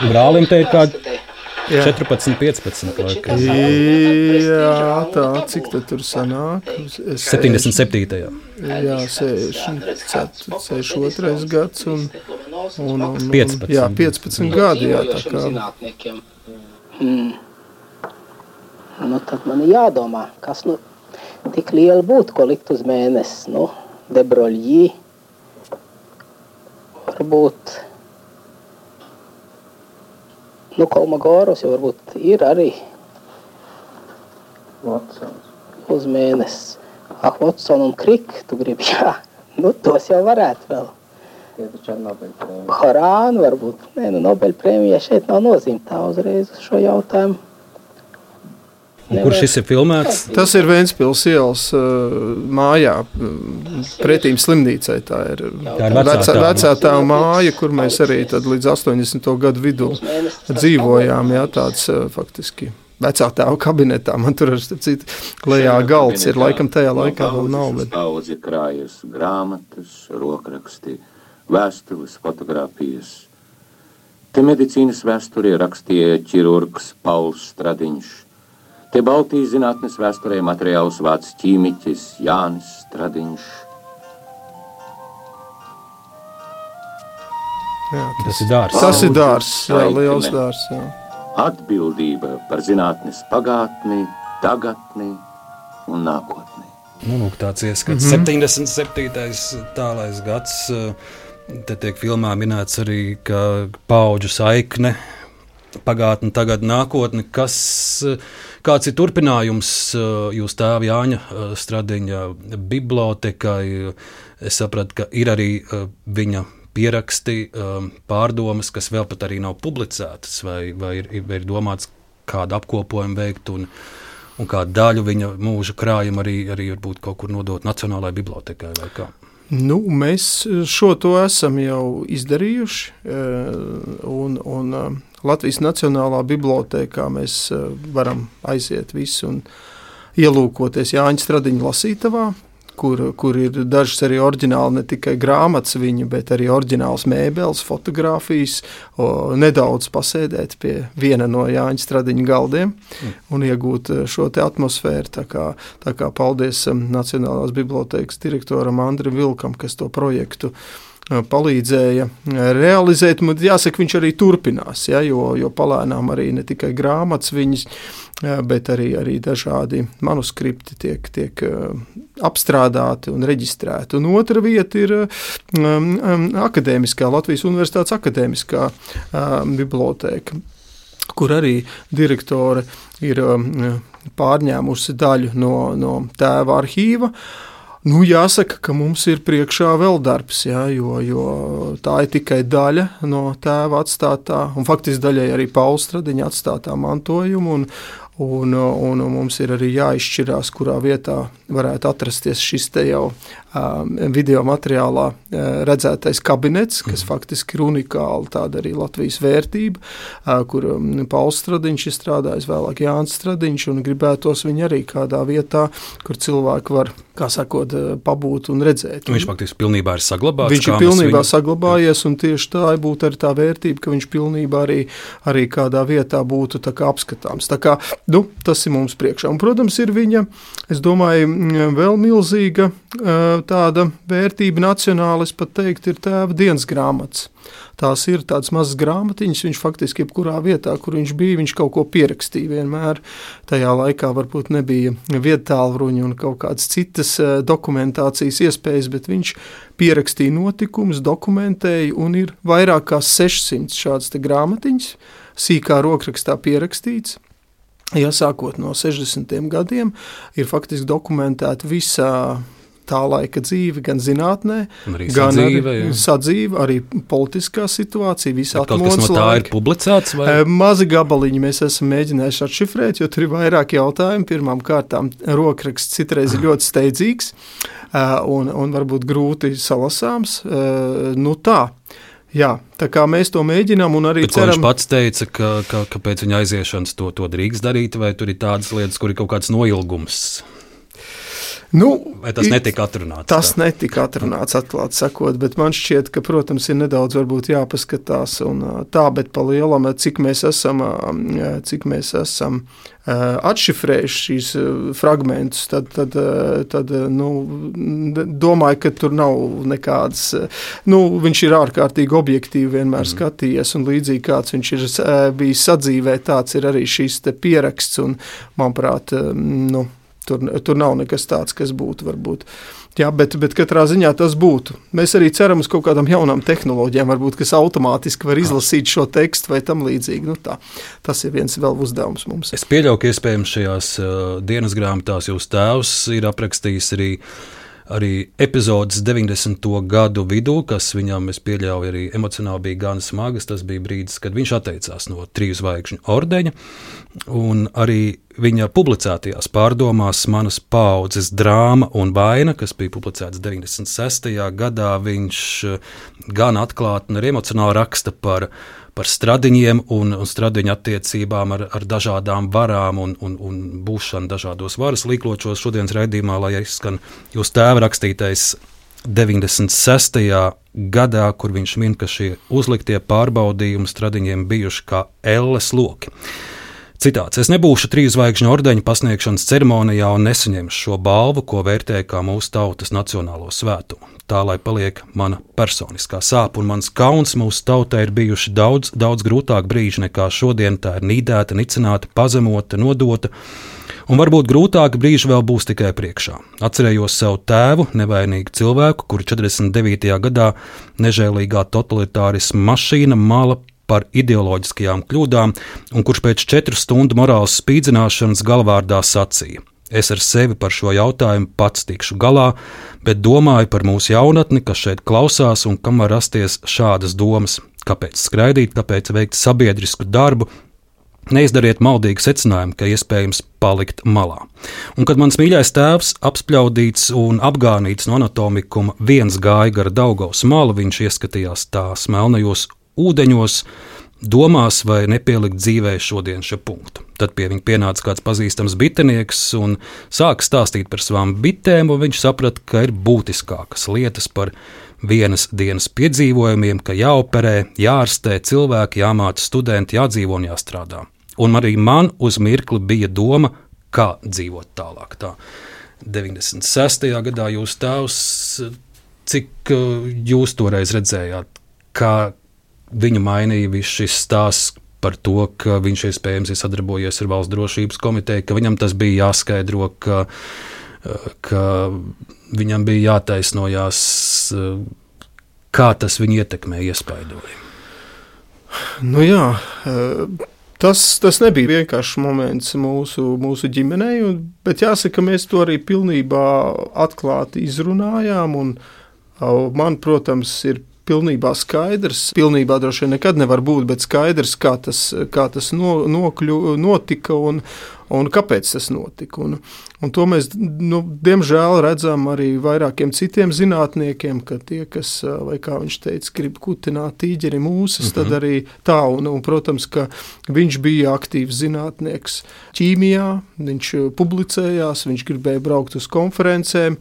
Brālim te ir kādi četrpadsmit, piecpadsmit laikam. Jā, tā, cik tad tur sanāk? Es septiņdesmit septītajā. Jā, sešdesmit otrais gads un, un, un, un piecpadsmit. Jā, piecpadsmit gadi, jā, tā kā. Hmm. Nu, tad man ir jādomā, kas nu tik liela būtu, ko likt uz mēnesi. Nu, Debroļģī, varbūt nu, Kolmogorus jau varbūt ir arī Watsons. Uz mēnesi. Ah, Watson un Krik, tu gribi, jā. Nu, tos jau varētu vēl. Horānu varbūt. Nē, nu, Nobelprēmija šeit nav nozīmta uzreiz uz šo jautājumu. Kur šis ir filmēts? Tas ir Ventspils ielas uh, mājā, pretīm slimnīcai. Tā ir, tā ir vecā, vecā, vecā tā māja, kur mēs arī tad līdz astoņdesmito gadu vidū dzīvojām. Jā, tāds uh, faktiski vecā tēva kabinetā. Man tur ar citu lejā galds ir, laikam tajā laikā vēl nav. Bet... Daudz ir krājas grāmatas, rokraksti, vēstules, fotogrāfijas. Te medicīnas vēsturē rakstīja ķirurgs Pauls Stradiņš. Te Baltijas zinātnes vēsturē materiālus vāc ķīmiķis Jānis Stradiņš. Jā, tas, tas ir dārs. Tas ir dārs, jā, liels dārs, jā. Atbildība par zinātnes pagātni, tagadni un nākotni. Nu, lūk, tāds ieskats. Mm-hmm. septiņdesmit septītais tālais gads. Te tiek filmā minēts arī, ka paudžu saikne, pagātne, tagad nākotne. Kas, kāds ir turpinājums jūs tēva Jāņa Stradiņa bibliotekai? Es sapratu, ka ir arī viņa pieraksti, pārdomas, kas vēl pat arī nav publicētas, vai, vai ir, ir domāts kādu apkopojumu veikt un, un kādu daļu viņa mūža krājuma arī, arī varbūt kaut kur nodot Nacionālajai bibliotekai vai kā? Nu, mēs šo to esam jau izdarījuši, un, un Latvijas Nacionālā bibliotēkā mēs varam aiziet visu un ielūkoties Jāņa Stradiņa lasītavā, kur, kur ir dažas arī oriģināli ne tikai grāmatas viņa, bet arī oriģināls mēbeles, fotogrāfijas, o, nedaudz pasēdēt pie viena no Jāņa Stradiņa galdiem mm. un iegūt šo te atmosfēru. Tā kā, tā kā paldies Nacionālās bibliotēkas direktoram Andrim Vilkam, kas to projektu palīdzēja realizēt. Jāsaka, viņš arī turpinās, ja, jo, jo palēnām arī ne tikai grāmatas viņas, bet arī, arī dažādi manuskripti tiek, tiek apstrādāti un reģistrēti. Un otra vieta ir um, akadēmiskā, Latvijas Universitātes akadēmiskā um, bibliotēka, kur arī direktore ir um, pārņēmusi daļu no, no tēva arhīva. Nu, jāsaka, ka mums ir priekšā vēl darbs, jā, jo, jo tā ir tikai daļa no tēva atstātā, un faktiski daļai arī Paula Stradiņa atstātā mantojuma, un, un, un mums ir arī jāizšķirās, kurā vietā varētu atrasties šis te jau um, video materiālā uh, redzētais kabinets, kas mm. faktiski ir unikāli tāda arī Latvijas vērtība, uh, kur um, Pauls Stradiņš ir strādājis, vēlāk Jānis Stradiņš, un gribētos viņu arī kādā vietā, kur cilvēki var, kā sakot, pabūt un redzēt. Viņš faktiski pilnībā ir saglabāts. Viņš ir pilnībā viņu... saglabājies, un tieši tā būtu arī tā vērtība, ka viņš pilnībā arī, arī kādā vietā būtu tā kā apskatāms. Tā kā, nu, tas ir mums priekšā. Un, protams, ir viņa, es domāju, vēl milzīga tāda vērtība nacionāli, es pat teikt, ir tēva dienas grāmatas. Tās ir tādas mazas grāmatiņas, viņš faktiski jebkurā vietā, kur viņš bija, viņš kaut ko pierakstīja vienmēr. Tajā laikā varbūt nebija viedtālruņa un kaut kādas citas dokumentācijas iespējas, bet viņš pierakstīja notikumus, dokumentēja, un ir vairāk kā sešsimt šādas te grāmatiņas, sīkā rokrakstā pierakstīts. Ja sākot no sešdesmitiem gadiem, ir faktiski dokumentēta visā tā laika dzīve, gan zinātnē, arī gan sadzīve, arī sadzīve, arī politiskā situācija, visa atmodas laika. Kaut kas no tā ir publicēts? Vai? Mazi gabaliņi mēs esam mēģinājuši atšifrēt, jo tur ir vairāk jautājumu. Pirmām kārtām rokraksts citreiz ir ļoti steidzīgs un, un varbūt grūti salasāms. Nu tā. Jā, tā kā mēs to mēģinām un arī Bet, ceram... Viņš pats teica, ka, ka, ka pēc viņa aiziešanas to, to drīkst darīt, vai tur ir tādas lietas, kur ir kaut kāds noilgums? Nu, vai tas netika atrunāts? Tas tā? netika atrunāts, atklāt sakot, bet man šķiet, ka, protams, ir nedaudz varbūt jāpaskatās un tā, bet pa lielam, cik mēs esam, cik mēs esam atšifrējuši šīs fragmentus, tad, tad, tad nu, domāju, ka tur nav nekādas, nu, viņš ir ārkārtīgi objektīvi vienmēr mm. skatījies, un līdzīgi kāds viņš ir bijis sadzīvē, tāds ir arī šīs te pieraksts, un, manuprāt, nu, Tur, tur nav nekas tāds, kas būtu varbūt Jā, bet, bet katrā ziņā tas būtu. Mēs arī ceram uz kaut kādām jaunām tehnoloģijām, varbūt, kas automātiski var izlasīt šo tekstu vai tam līdzīgi. Nu, tā, tas ir viens vēl uzdevums mums. Es pieļauju, ka iespējams šajās uh, dienas grāmatās jūs tēvs ir aprakstījis arī Arī epizodes deviņdesmito gadu vidū, kas viņam, es pieļauju, arī emocionāli bija gan smagas. Tas bija brīdis, kad viņš atteicās no triju zvaigžņu ordeņa. Un arī viņa publicētajās pārdomās Manas paaudzes drāma un vaina, kas bija publicēts deviņdesmit sestajā gadā, viņš gan atklāti un arī emocionāli raksta par par stradiņiem un, un stradiņu attiecībām ar, ar dažādām varām un, un, un būšanu dažādos varas līkločos. Šodienas raidījumā, lai izskan jūs tēva rakstītais deviņdesmit sestajā gadā, kur viņš min, ka šie uzliktie pārbaudījumi stradiņiem bijuši kā elles loki. Citāts: es nebūšu trīs zvaigžņu ordeņa pasniegšanas ceremonijā un nesaņemšu šo balvu, ko vērtēju kā mūsu tautas nacionālo svētumu. Tā lai paliek mana personiskā sāpe un mans kauns. Mūsu tautai ir bijuši daudz, daudz grūtāk brīži nekā šodien. Tā ir nīdēta, nicināta, pazemota, nodota, un varbūt grūtāki brīži vēl būs tikai priekšā. Atcerējos savu tēvu, nevainīgu cilvēku, kuru četrdesmit devītajā gadā nežēlīgā totalitārisma mašīna mala par ideoloģiskajām kļūdām, un kurš pēc četru stundu morāles spīdzināšanas galvārdā sacīja: es ar sevi par šo jautājumu pats tikšu galā, bet domāju par mūsu jaunatni, kas šeit klausās un kam var rasties šādas domas. Kāpēc skraidīt, kāpēc veikt sabiedrisku darbu? Neizdariet maldīgu secinājumu, ka iespējams palikt malā. Un kad mans mīļais tēvs, apspļaudīts un apgānīts no anatomikuma, viens gāja gara Daugavas malu, viņš ieskatījās tās melnajos ūdeņos, domās, vai nepielikt dzīvē šodien šo punktu. Tad pie viņa pienāca kāds pazīstams bitenieks un sāka stāstīt par savām bitēm, un viņš saprata, ka ir būtiskākas lietas par vienas dienas piedzīvojumiem, ka jāoperē, jārastē cilvēki, jāmāca studenti, jādzīvo un jāstrādā. Un arī man uz mirkli bija doma, kā dzīvot tālāk. Tā deviņdesmit sestajā gadā jūs tēvs, cik jūs toreiz redzējāt, kā viņu mainīja viss šis stāsts par to, ka viņš iespējams ir sadarbojies ar Valsts drošības komiteju, ka viņam tas bija jāskaidro, ka, ka viņam bija jātaisnojās, kā tas viņu ietekmē, iespaidoja. Nu jā, tas, tas nebija vienkāršs moments mūsu, mūsu ģimenei, bet jāsaka, mēs to arī pilnībā atklāti izrunājām, un man, protams, ir pilnībā skaidrs, pilnībā droši vien nekad nevar būt, bet skaidrs, kā tas, kā tas no, nokļu, notika un, un kāpēc tas notika. Un, un to mēs, nu, diemžēl redzam arī vairākiem citiem zinātniekiem, ka tie, kas, vai kā viņš teica, grib kutināt tīģeri mūsas, mm-hmm. tad arī tā, un, un, protams, ka viņš bija aktīvs zinātnieks ķīmijā, viņš publicējās, viņš gribēja braukt uz konferencēm,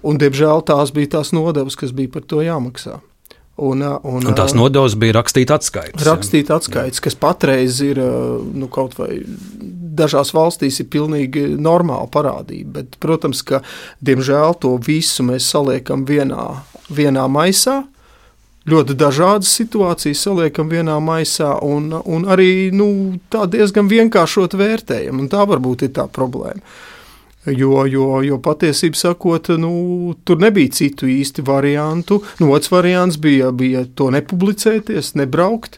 un, diemžēl, tās bija tās nodevas, kas bija par to jāmaksā. Un, un, un tās nodevas bija rakstīt atskaites. Rakstīt atskaites, kas patreiz ir, nu, kaut vai dažās valstīs ir pilnīgi normāla parādība, bet, protams, ka, diemžēl, to visu mēs saliekam vienā, vienā maisā, ļoti dažādas situācijas saliekam vienā maisā, un, un arī, nu, tā diezgan vienkāršot vērtējam, un tā varbūt ir tā problēma. Jo, jo, jo patiesībā sakot, nu, tur nebija citu īsti variantu. Nu, otrs variants bija, bija to nepublicēties, nebraukt.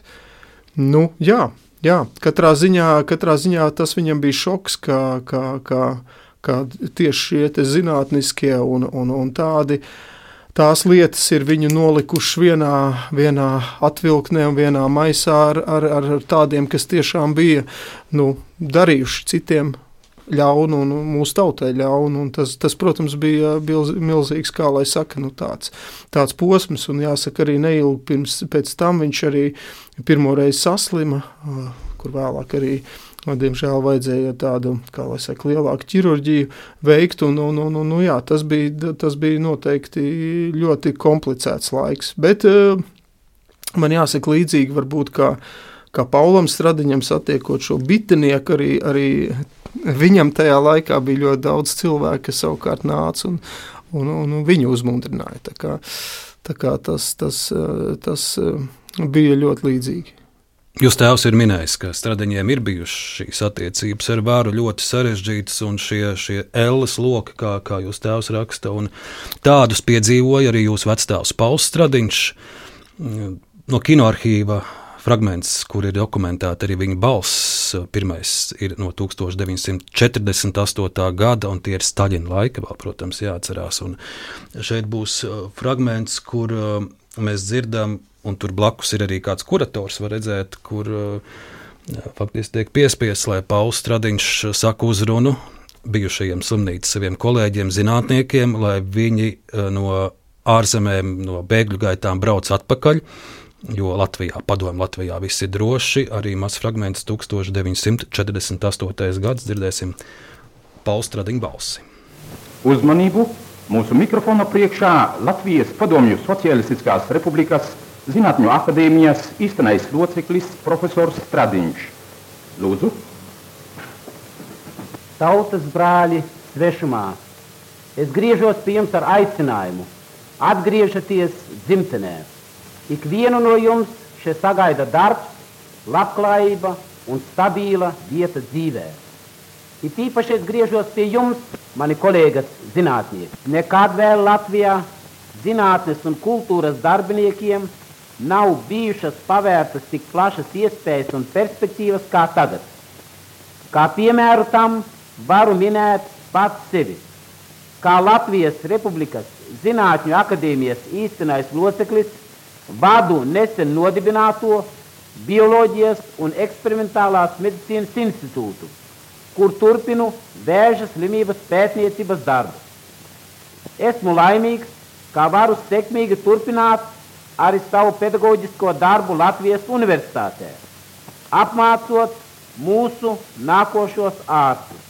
Nu, jā, jā, katrā ziņā, katrā ziņā tas viņam bija šoks, ka, ka, ka, ka tieši šie te zinātniskie un, un, un tādi, tās lietas ir viņu nolikuši vienā, vienā atvilknē un vienā maisā ar, ar, ar tādiem, kas tiešām bija, nu, darījuši citiem ļaunu un mūsu tautai ļaunu, un tas, tas protams, bija milzīgs, kā lai saka, nu tāds, tāds posms, un jāsaka arī neilgi pirms, pēc tam viņš arī pirmoreiz saslima, kur vēlāk arī, diemžēl, vajadzēja tādu, kā lai saka, lielāku ķirurģiju veikt, un, un, un, un jā, tas bija, tas bija noteikti ļoti komplicēts laiks, bet man jāsaka līdzīgi varbūt, kā, kā Paulam Stradiņam satiekot šo bitenieku, arī, arī viņam tajā laikā bija ļoti daudz cilvēku, kas savukārt nāca un, un, un viņu uzmundrināja. Tā kā, tā kā tas, tas, tas bija ļoti līdzīgi. Jūs tēvs ir minējis, ka Stradiņiem ir bijušas šīs attiecības ar varu ļoti sarežģītas, un šie, šie elles loki, kā, kā jūs tēvs raksta, un tādus piedzīvoja arī jūsu vectēvs Pauls Stradiņš. No kinoarhīva fragments, kur ir dokumentēta arī viņa balss, pirmais ir no tūkstoš deviņsimt četrdesmit astotā gada, un tie ir Staļina laika, vēl, protams, jāatcerās. Un šeit būs fragments, kur mēs dzirdam, un tur blakus ir arī kāds kurators, var redzēt, kur jā, faktiski tiek piespiests, lai Pauls Stradiņš saka uzrunu bijušajiem slimnīcas saviem kolēģiem, zinātniekiem, lai viņi no ārzemēm, no bēgļu gaitām brauc atpakaļ, jo Latvijā, padomju Latvijā viss ir droši. Arī mazs fragments tūkstoš deviņsimt četrdesmit astotais gads, dzirdēsim Pauls Stradiņa balsi. Uzmanību! Mūsu mikrofona priekšā Latvijas Padomju Socialistiskās Republikas Zinātņu akadēmijas īstenais loceklis profesors Stradiņš. Lūdzu. Tautas brāļi svešumā, es griežos pie jums ar aicinājumu. Atgriežaties dzimtenē. Ikvienu no jums šeit sagaida darbs, labklājība un stabila vieta dzīvē. It īpaši es griežos pie jums, mani kolēgas zinātnieki. Nekad vēl Latvijā zinātnes un kultūras darbiniekiem nav bijušas pavērtas tik plašas iespējas un perspektīvas kā tagad. Kā piemēru tam varu minēt pats sevi. Kā Latvijas Republikas Zinātņu akadēmijas īstenais loceklis vadu nesen nodibināto Bioloģijas un eksperimentālās medicīnas institūtu, kur turpinu vēža slimības pētniecības darbu. Esmu laimīgs, kā varu sekmīgi turpināt arī savu pedagoģisko darbu Latvijas universitātē, apmācot mūsu nākošos ārstus.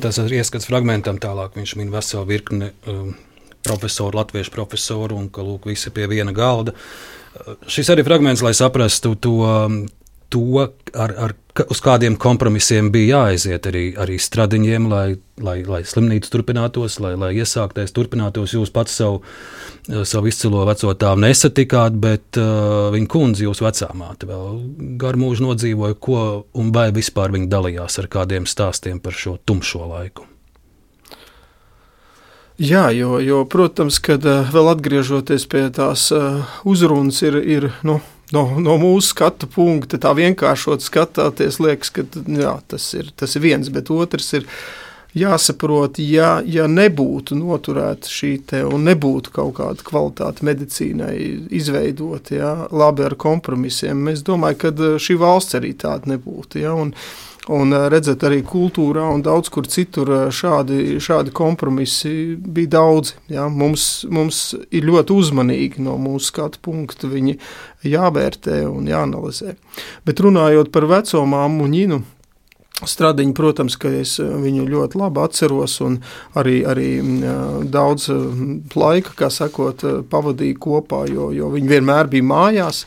Tas ir ieskats fragmentam, tālāk viņš min veselu virkni um, profesoru, latviešu profesoru, un ka lūk visi pie viena galda. Uh, šis arī fragments, lai saprastu to, to ar, ar, uz kādiem kompromisiem bija jāaiziet arī, arī Stradiņiem, lai, lai, lai slimnīca turpinātos, lai, lai iesāktais turpinātos. Jūs pats savu, savu izcilo veco tēvu nesatikāt, bet uh, viņa kundze, jūs vecā māte, vēl garu mūžu nodzīvoja, ko un vai vispār viņa dalījās ar kādiem stāstiem par šo tumšo laiku. Jā, jo, jo protams, kad uh, vēl atgriežoties pie tās uh, uzrunas ir, ir nu, No, no mūsu skatu punkta, tā vienkāršot skatāties, liekas, ka jā, tas, ir, tas ir viens, bet otrs ir jāsaprot, ja, ja nebūtu noturēta šī te un nebūtu kaut kāda kvalitāte medicīnai izveidot, jā, labi ar kompromisiem, es domāju, ka šī valsts arī tāda nebūtu, jā, un Un redzēt, arī kultūrā un daudz kur citur šādi, šādi kompromisi bija daudzi. Ja? Mums, mums ir ļoti uzmanīgi no mūsu skatu punkta viņi jāvērtē un jāanalizē. Bet runājot par veco māmu Ņinu Stradiņu, protams, ka es viņu ļoti labi atceros un arī, arī daudz laika, kā sakot, pavadīju kopā, jo, jo viņi vienmēr bija mājās,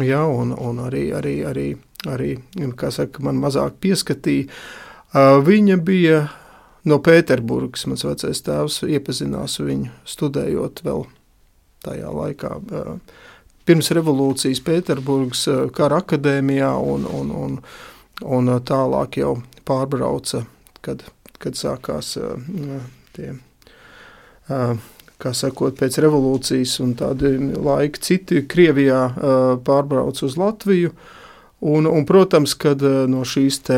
ja? un, un arī, arī, arī arī, kā saka, man mazāk pieskatīja. Viņa bija no Pēterburgas, mans vecais tēvs iepazinās viņu studējot vēl tajā laikā. Pirms revolūcijas Pēterburgas kara akadēmijā un, un, un, un tālāk jau pārbrauca, kad, kad sākās tie, kā sakot, pēc revolūcijas un tādi laiki citi Krievijā pārbrauca uz Latviju. Un, un, protams, kad no šīs te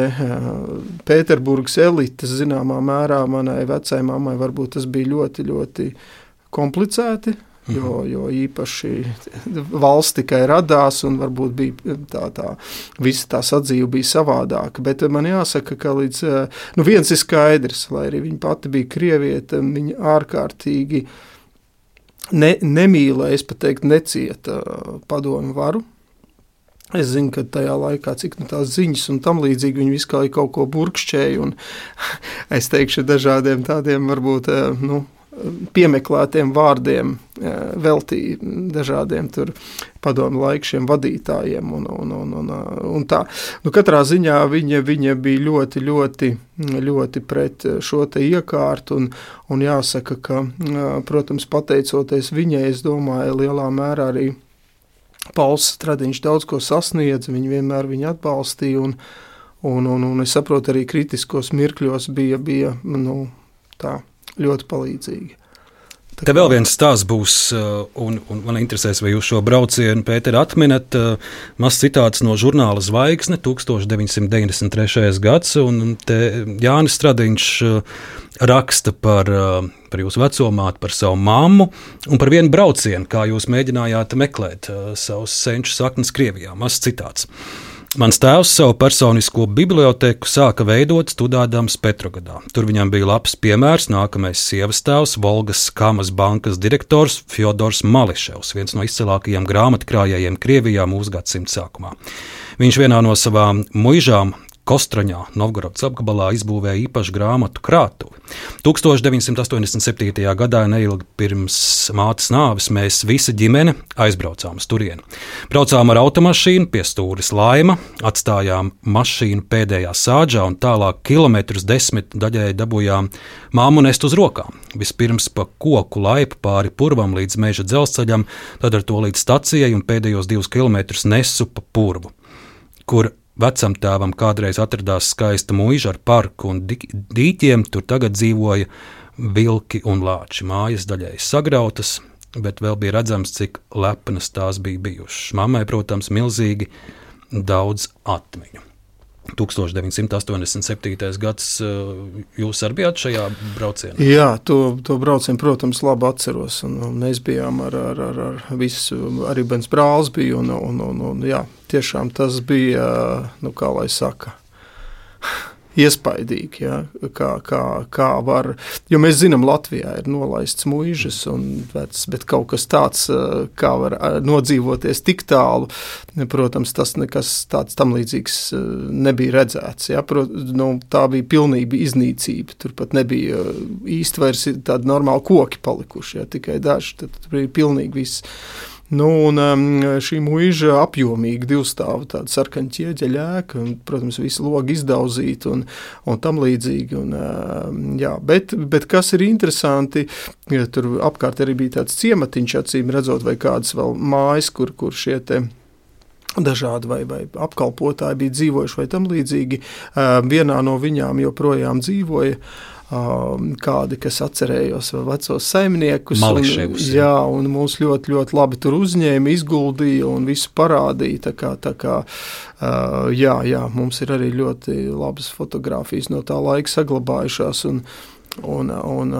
Pēterburgas elites zināmā mērā manai vecai mammai varbūt tas bija ļoti, ļoti komplicēti, jo, jo īpaši valsts tikai radās un varbūt bija tā, tā, visa tā sadzīve bija savādāka. Bet man jāsaka, ka līdz, nu viens ir skaidrs, lai arī viņa pati bija krievieta, viņa ārkārtīgi ne, nemīlēja, es pat teikt, necieta padomju varu. Es zinu, ka tajā laikā, cik nu tās ziņas un tam līdzīgi viņi visu kā kaut ko burkšķēja un es teikšu dažādiem tādiem varbūt, nu, piemeklētiem vārdiem veltīja dažādiem tur padomu laikšiem vadītājiem un, un, un, un, un tā. Nu, katrā ziņā viņa, viņa bija ļoti, ļoti, ļoti pret šo te iekārtu un, un jāsaka, ka, protams, pateicoties viņai, es domāju, lielā mērā arī Pauls Stradiņš daudz ko sasniedz, viņi vienmēr viņu atbalstīja, un, un, un, un es saprotu, arī kritiskos mirkļos bija, bija nu, tā, ļoti palīdzīgi. Te vēl viens stāsts būs, un, un man interesēs, vai jūs šo braucienu, Pēter, atminat. Mazs citāts no žurnāla Zvaigzne, tukstovš deviņsimt deviņdesmit trešais gads, un te Jānis Stradiņš raksta par, par jūsu vecomāti, par savu mammu un par vienu braucienu, kā jūs mēģinājāt meklēt savus senču saknes Krievijā. Mazs citāts. Mans tēvs savu personisko bibliotēku sāka veidot studādams Petrogradā. Tur viņam bija labs piemērs nākamais sievas tēvs, Volgas Kamas bankas direktors Fjodors Mališevs, viens no izcilākajiem grāmatkrājējiem Krievijā mūsu gadsimta sākumā. Viņš vienā no savām muižām Kostroņā, Novgorodas apgabalā, izbūvēja īpašu grāmatu krātuvi. tukstovš deviņsimt astoņdesmit septītajā gadā, neilgi pirms mātes nāves, mēs visa ģimene aizbraucām uz turieni. Braucām ar automašīnu pie stūres Laima, atstājām mašīnu pēdējā sāģā un tālāk kilometrus desmit daļēji dabūjām māmu nest uz rokām. Vispirms pa koku laipu pāri purvam līdz meža dzelzceļam, tad ar to līdz stacijai un pēdējos divus kilometrus nesu pa purvu, kur vecam tēvam kādreiz atradās skaista muiža ar parku un dīķiem, tur tagad dzīvoja vilki un lāči. Mājas daļēji sagrautas, bet vēl bija redzams, cik lepnas tās bija bijušas. Mammai, protams, milzīgi daudz atmiņu. tukstovš deviņsimt astoņdesmit septītais gads, jūs arī bijāt šajā braucienā? Jā, to, to braucienu, protams, labi atceros. Un, un mēs bijām ar, ar, ar, ar visu, arī bens brālis bija, un, un, un, un jā, tiešām tas bija, nu, kā lai saka, iespaidīgi, ja, kā, kā, kā var, jo mēs zinām, Latvijā ir nolaists muižas, un, bet, bet kaut kas tāds, kā var nodzīvoties tik tālu, protams, tas nekas tāds tam līdzīgs nebija redzēts. Ja, Prot, nu, tā bija pilnība iznīcība, tur pat nebija īsti vairs tādi normāli koki palikuši, ja, tikai daži, tad bija pilnīgi viss. Nu, un šī muiža apjomīga divstāva, tāda sarkaņa ķieģeļa ēka, un, protams, visu logu izdaudzīt un, un tam līdzīgi. Un, jā, bet, bet kas ir interesanti, ja tur apkārt arī bija tāds ciematiņš, acīm redzot, vai kādas vēl mājas, kur, kur šie te dažādi vai, vai apkalpotāji bija dzīvojuši vai tam līdzīgi. Vienā no viņām joprojām dzīvoja kādi, kas atcerējos vecos saimniekus. Mališevus. Un, jā, un mūs ļoti, ļoti labi tur uzņēma, izguldīja un visu parādīja. Tā kā, tā kā, jā, jā, mums ir arī ļoti labas fotogrāfijas no tā laika saglabājušās. Un, un, un,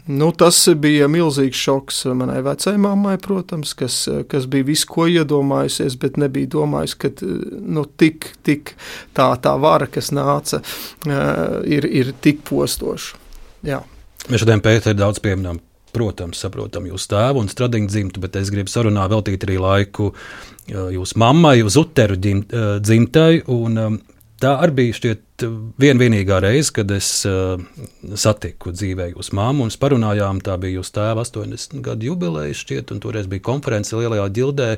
nu, tas bija milzīgs šoks manai vecai mammai, protams, kas, kas bija visu, ko iedomājusies, bet nebija domājis, ka nu, tik, tik tā, tā vara, kas nāca, ir, ir tik postoša. Jā. Mēs šodien, Pēter, daudz pieminām, protams, saprotam jūsu tēvu un Stradiņu dzimtu, bet es gribu sarunā veltīt arī laiku jūsu mammai uz Uteru dzimtai, un tā arī bija šķiet vien vienīgā reize, kad es uh, satiku dzīvē jūsu mammu un parunājām, tā bija jūsu tēva astoņdesmit gadu jubileja šķiet, un toreiz bija konference Lielajā ģildē,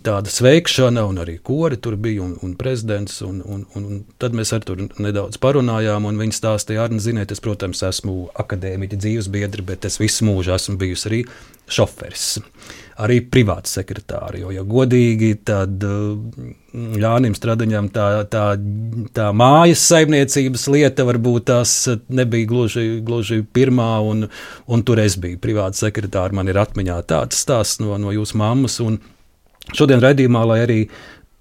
tāda sveikšana, un arī kori tur bija, un, un prezidents, un, un, un, un tad mēs ar tur nedaudz parunājām, un viņi stāstīja, Arni, ziniet, es, protams, esmu akadēmiķa dzīvesbiedri, bet es visu mūžu esmu bijusi arī šoferis, arī privāts sekretāri, jo, ja godīgi, tad Jānim Stradiņam tā, tā, tā mājas saimniecības lieta varbūt tās nebija gluži, gluži pirmā, un, un tur es biju privāts sekretāri, man ir atmiņā tāds stāsts no, no jūsu mammas, un šodien raidījumā, lai arī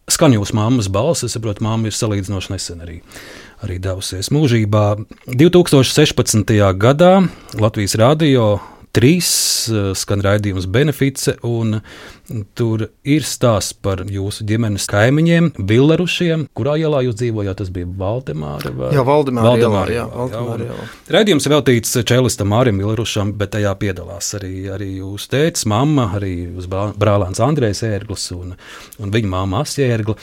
skan jūsu mammas balss, es saprotu, mamma ir salīdzinoši nesen arī, arī devusies mūžībā. divi tūkstoši sešpadsmitajā gadā Latvijas radio trīs skan raidījums Benefice, un tur ir stāsts par jūsu ģimenes kaimiņiem, Villerušiem. Kurā ielā jūs dzīvojāt? Tas bija Valdemāra? Vai? Jā, Valdemāra, Valdemāra ielā. Jā, ielā, Valdemāra ielā. Raidījums ir veltīts čelistam Mārim Villerušam, bet tajā piedalās arī, arī jūsu tētis, mamma, arī jūs brālēns Andrejs Ērglis un, un viņa mamma Asja Ērgla,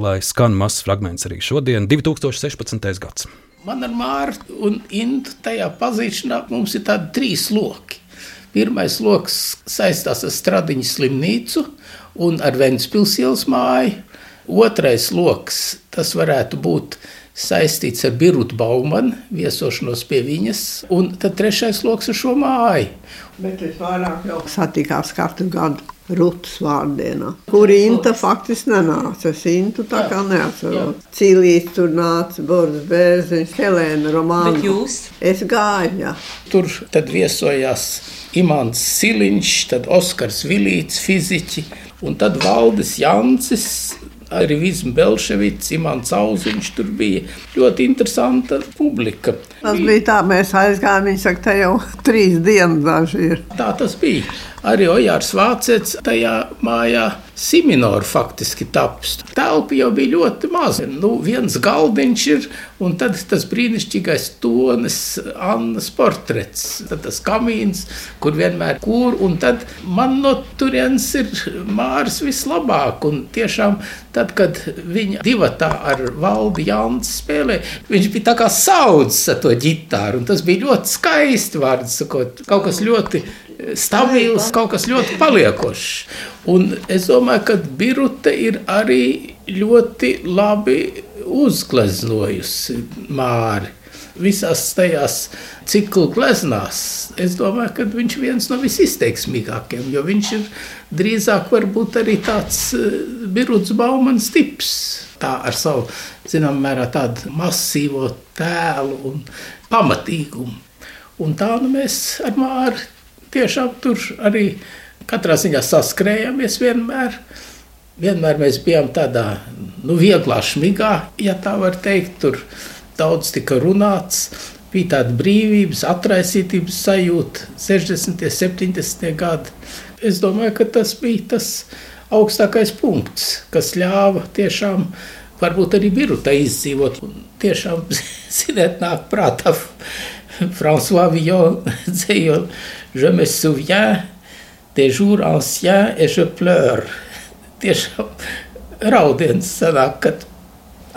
lai skan mazs fragments arī šodien, divi tūkstoši sešpadsmitais gads. Man ar Mārtu un Intu tajā pazīšanā mums ir tādi trīs loki. Pirmais loks saistās ar Stradiņu slimnīcu un ar Ventspils ielas māju. Otrais loks, tas varētu būt saistīts ar Birutu Baumanu, viesošanos pie viņas. Un tad trešais loks ar šo māju. Bet es vairāk jau satikās katru gadu. Rutas vārdienā, kur Inta faktiski nenāca. Es Intu tā kā neatceros. Cilīs tur nāca, Boris Bērziņš, Helēna Romāna. Bet jūs? Es gāju, jā. Tur tad viesojās Imants Siliņš, tad Oskars Vilīts, fiziķi, un tad Valdis Jancis, arī Vizma Belševics, Imants Auziņš, tur bija ļoti interesanta publika. Tas bija tā, mēs aizgājām, viņi saka, te jau trīs dienas daži ir. Tā tas bija. Arī Ojārs Vācets tajā mājā Siminoru faktiski taps. Telpa jau bija ļoti maza. Nu, viens galdiņš ir, un tad tas brīnišķīgais Tones Annas portrets. Tad tas kamīns, kur vienmēr kur, un tad man no turienes ir Māris vislabāk. Un tiešām tad, kad viņa divatā ar Valdi Janci spēlē, viņš bija tā kā saudzis ar to ģitāru, un tas bija ļoti skaisti, vārdu sakot, kaut kas ļoti stabils, kaut kas ļoti paliekošs. Un es domāju, ka Birute ir arī ļoti labi uzgleznojusi Māri. Visās tajās ciklu gleznās, es domāju, ka viņš ir viens no visizteiksmīgākiem, jo viņš ir drīzāk varbūt arī tāds Birutes Baumans tips. Tā ar savu, zinām, mērā tādu masīvo tēlu un pamatīgumu. Un tā nu mēs ar Māri tiešām tur arī katrā ziņā saskrējāmies vienmēr. Vienmēr mēs bijām tādā, nu, vieglā šmigā, ja tā var teikt. Tur daudz tika runāts, bija tāda brīvības, atraisītības sajūta, sešdesmitie, septiņdesmitie gadi. Es domāju, ka tas bija tas augstākais punkts, kas ļāva tiešām varbūt arī Birutei izdzīvot. Un tiešām, ziniet, nāk prātā François Villon dzējot Je me souviens des jours anciens et je pleure. Tiešām raudiens sanāk, kad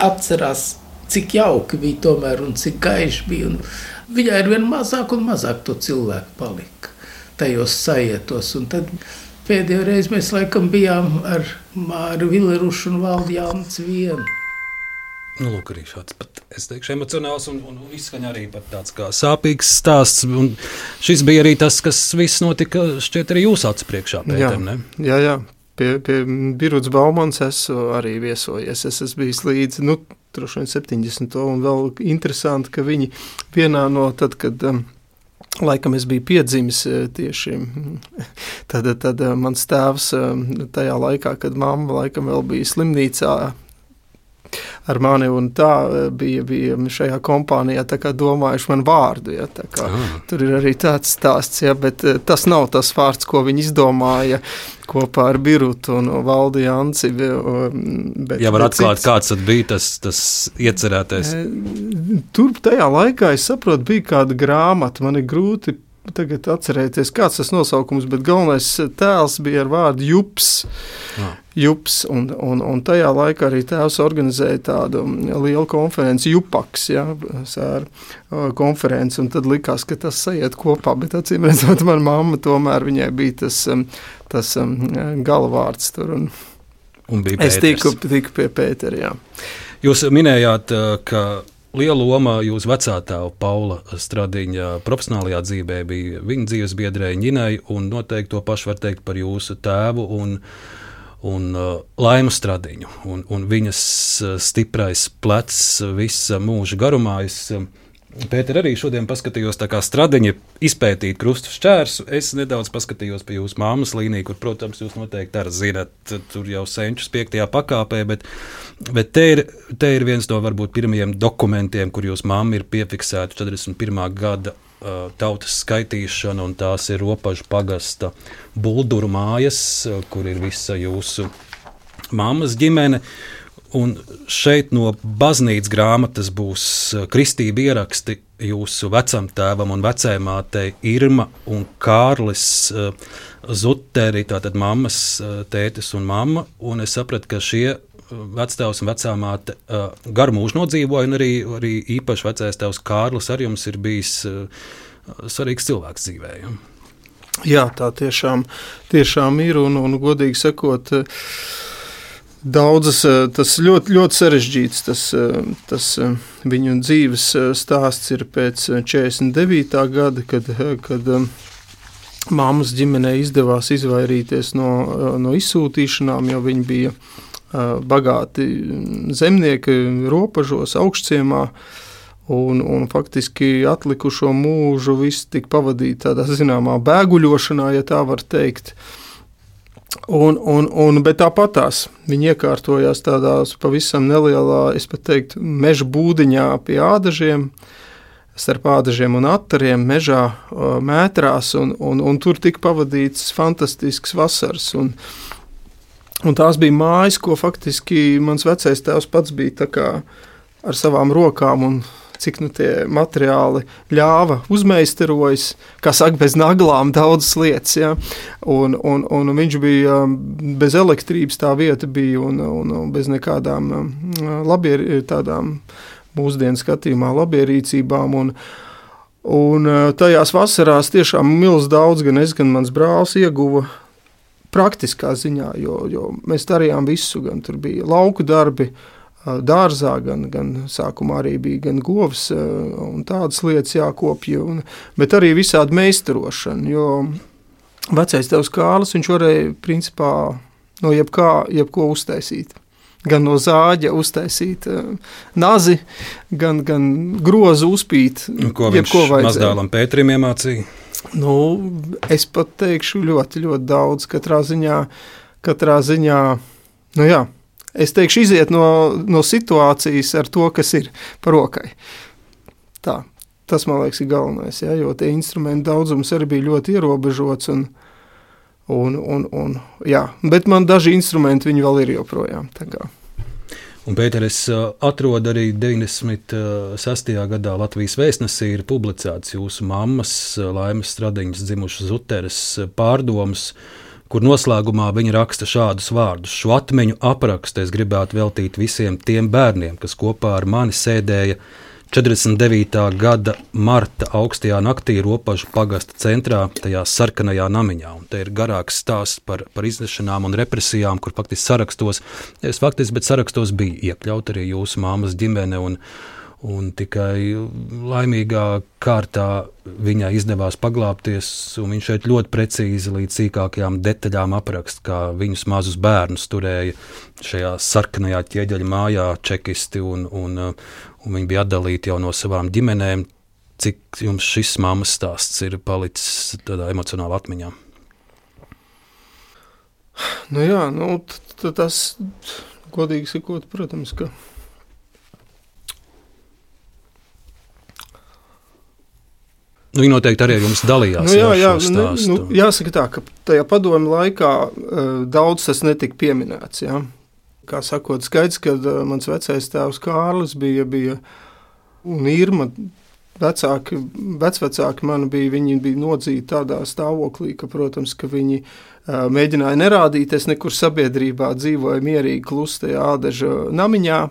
atcerās, cik jauki bija tomēr un cik gaiši bija. Un viņai ir vien mazāk un mazāk to cilvēku palika tajos sajietos. Un tad pēdējo reizi mēs laikam bijām ar Māru Vilerušu un Valdi Janci vienu. Nu, lūk, arī šāds pat, es teikšu, emocionāls un, un izskaņa arī pat tāds kā sāpīgs stāsts. Un šis bija arī tas, kas viss notika, šķiet, arī jūs acu priekšā, Pēter, ne? Jā, jā. Pie, pie Birutes Baumans esmu arī viesojies. Es esmu bijis līdz, nu, droši vien septiņdesmito un vēl interesanti, ka viņi vienā no tad, kad um, laikam es biju piedzimis tieši, tad, tad mans tēvs tajā laikā, kad mamma laikam vēl bija slimnīcā, ar mani un tā bija, bija šajā kompānijā tā kā domājuši man vārdu, ja, tā kā ah. Tur ir arī tāds stāsts, ja, bet tas nav tas vārds, ko viņi izdomāja kopā ar Birutu un Valdi Janci. Bet, ja var atklāt, cits, kāds tad bija tas, tas iecerētais? Tur tajā laikā, es saprotu, bija kāda grāmata, man ir grūti tagad atcerēties, kāds tas nosaukums, bet galvenais tēls bija ar vārdu Jups. Ah. Jups, un, un, un tajā laikā arī tēvs organizēja tādu lielu konferenci, Jupaks, ja, sēra konferenci, un tad likās, ka tas sajiet kopā, bet acīm redzot, man mamma tomēr viņai bija tas, tas galvārds tur, un, un bija es tiku, tiku pie Pētera, jā. Jūs minējāt, ka liela loma jūsu vecātēva Paula Stradiņa profesionālajā dzīvē bija viņa dzīves biedrei Ņinai, un noteikti to pašu var teikt par jūsu tēvu un un uh, Laimu Stradiņu, un, un viņas uh, stiprais plecs visa mūža garumā. Es, uh, Pēter, arī šodien paskatījos tā kā Stradiņa izpētīt krustu šķērsu. Es nedaudz paskatījos pie jūsu māmas līniju, kur, protams, jūs noteikti arī zināt, tur jau senčus piektajā pakāpē, bet, bet te, ir, te ir viens no varbūt pirmajiem dokumentiem, kur jūs mamma ir piefiksēta četrdesmit pirmā gada tautas skaitīšana, un tās ir Ropažu pagasta Bulduru mājas, kur ir visa jūsu mammas ģimene. Un šeit no baznīcas grāmatas būs kristība ieraksti jūsu vecam tēvam un vecēmātei Irma un Kārlis Zuteri, tātad mammas tētis un mamma. Un es sapratu, ka šie vectēvs un vecāmāte uh, garu mūžu nodzīvoja, un arī, arī īpaši vecais tēvs Kārlis ar jums ir bijis uh, svarīgs cilvēks dzīvē. Ja? Jā, tā tiešām, tiešām ir, un, un godīgi sakot, daudzas, tas ļoti, ļoti sarežģīts, tas, tas viņu dzīves stāsts ir pēc četrdesmit devītā gada, kad, kad mammas ģimenei izdevās izvairīties no, no izsūtīšanām, jo viņi bija bagāti zemnieki ropažos, augšciemā, un, un faktiski atlikušo mūžu viss tika pavadīt tādā zināmā bēguļošanā, ja tā var teikt. Un, un, un, bet tāpatās viņi iekārtojās tādās pavisam nelielā, es pat teiktu, meža būdiņā pie ādažiem, starp ādažiem un attariem mežā mētrās, un, un, un tur tika pavadīts fantastisks vasaras. Un, Un tās bija mājas, ko faktiski mans vecais tēvs pats bija tā kā ar savām rokām un cik nu tie materiāli ļāva uzmeisterojis, kā saka, bez naglām daudzas lietas. Ja? Un, un, un viņš bija bez elektrības, tā vieta bija un, un bez nekādām labier, tādām mūsdienu skatījumā labierīcībām. Un, un tajās vasarās tiešām milz daudz, gan es, gan mans brālis ieguva praktiskā ziņā, jo, jo mēs darījām visu, gan tur bija lauku darbi dārzā, gan, gan sākumā arī bija gan govs un tādas lietas jākopja, un, bet arī visādi meistarošana, jo vecais tevs Kārlis, viņš varēja principā no jebkā, jebko uztaisīt. Gan no zāģa uztaisīt nazi, gan, gan grozu uzpīt. Ko viņš mazdēlam Pēterim iemācīja? Nu, es pat teikšu ļoti, ļoti daudz. Katrā ziņā, katrā ziņā, nu jā, es teikšu iziet no, no situācijas ar to, kas ir par rokai. Tā, tas, man liekas, ir galvenais, ja, jo tie instrumenti daudzums arī bija ļoti ierobežots un, un, un, un jā, bet man daži instrumenti viņi vēl ir joprojām, tā kā. Un, Pēter, es atrodu arī deviņdesmit sestajā gadā Latvijas vēstnesī ir publicēts jūsu mammas Laimes Stradiņas dzimušas Zuteres pārdomas, kur noslēgumā viņa raksta šādus vārdus. Šo atmiņu aprakstu es gribētu veltīt visiem tiem bērniem, kas kopā ar mani sēdēja četrdesmit devītā gada marta augstajā naktī Ropažu pagasta centrā, tajā sarkanajā namiņā. Un te ir garāks stāsts par, par iznešanām un represijām, kur faktiski sarakstos, es faktiski, bet sarakstos bija iekļaut arī jūsu māmas ģimene, un, un tikai laimīgā kārtā viņai izdevās paglābties, un viņš šeit ļoti precīzi līdz sīkākajām detaļām aprakst, kā viņus mazus bērnus turēja šajā sarkanajā ķieģeļa mājā čekisti, un, un, un viņi bija atdalīti jau no savām ģimenēm. Cik jums šis mammas stāsts ir palicis tādā emocionālā atmiņā? Nu jā, nu, t- t- tas, godīgi sakot, protams, ka Nu, viņi noteikti arī ar jums dalījās. Nu, jā, jā, jā, nu, jāsaka tā, ka tajā padomu laikā uh, daudz tas netika pieminēts. Jā. Kā sakot, skaidrs, ka uh, mans vecais tēvs Kārlis bija, bija un Irma vecāki, vecvecāki mani bija, viņi bija nodzīti tādā stāvoklī, ka, protams, ka viņi uh, mēģināja nerādīties nekur sabiedrībā, dzīvoja mierīgi klustajā ādaža namiņā.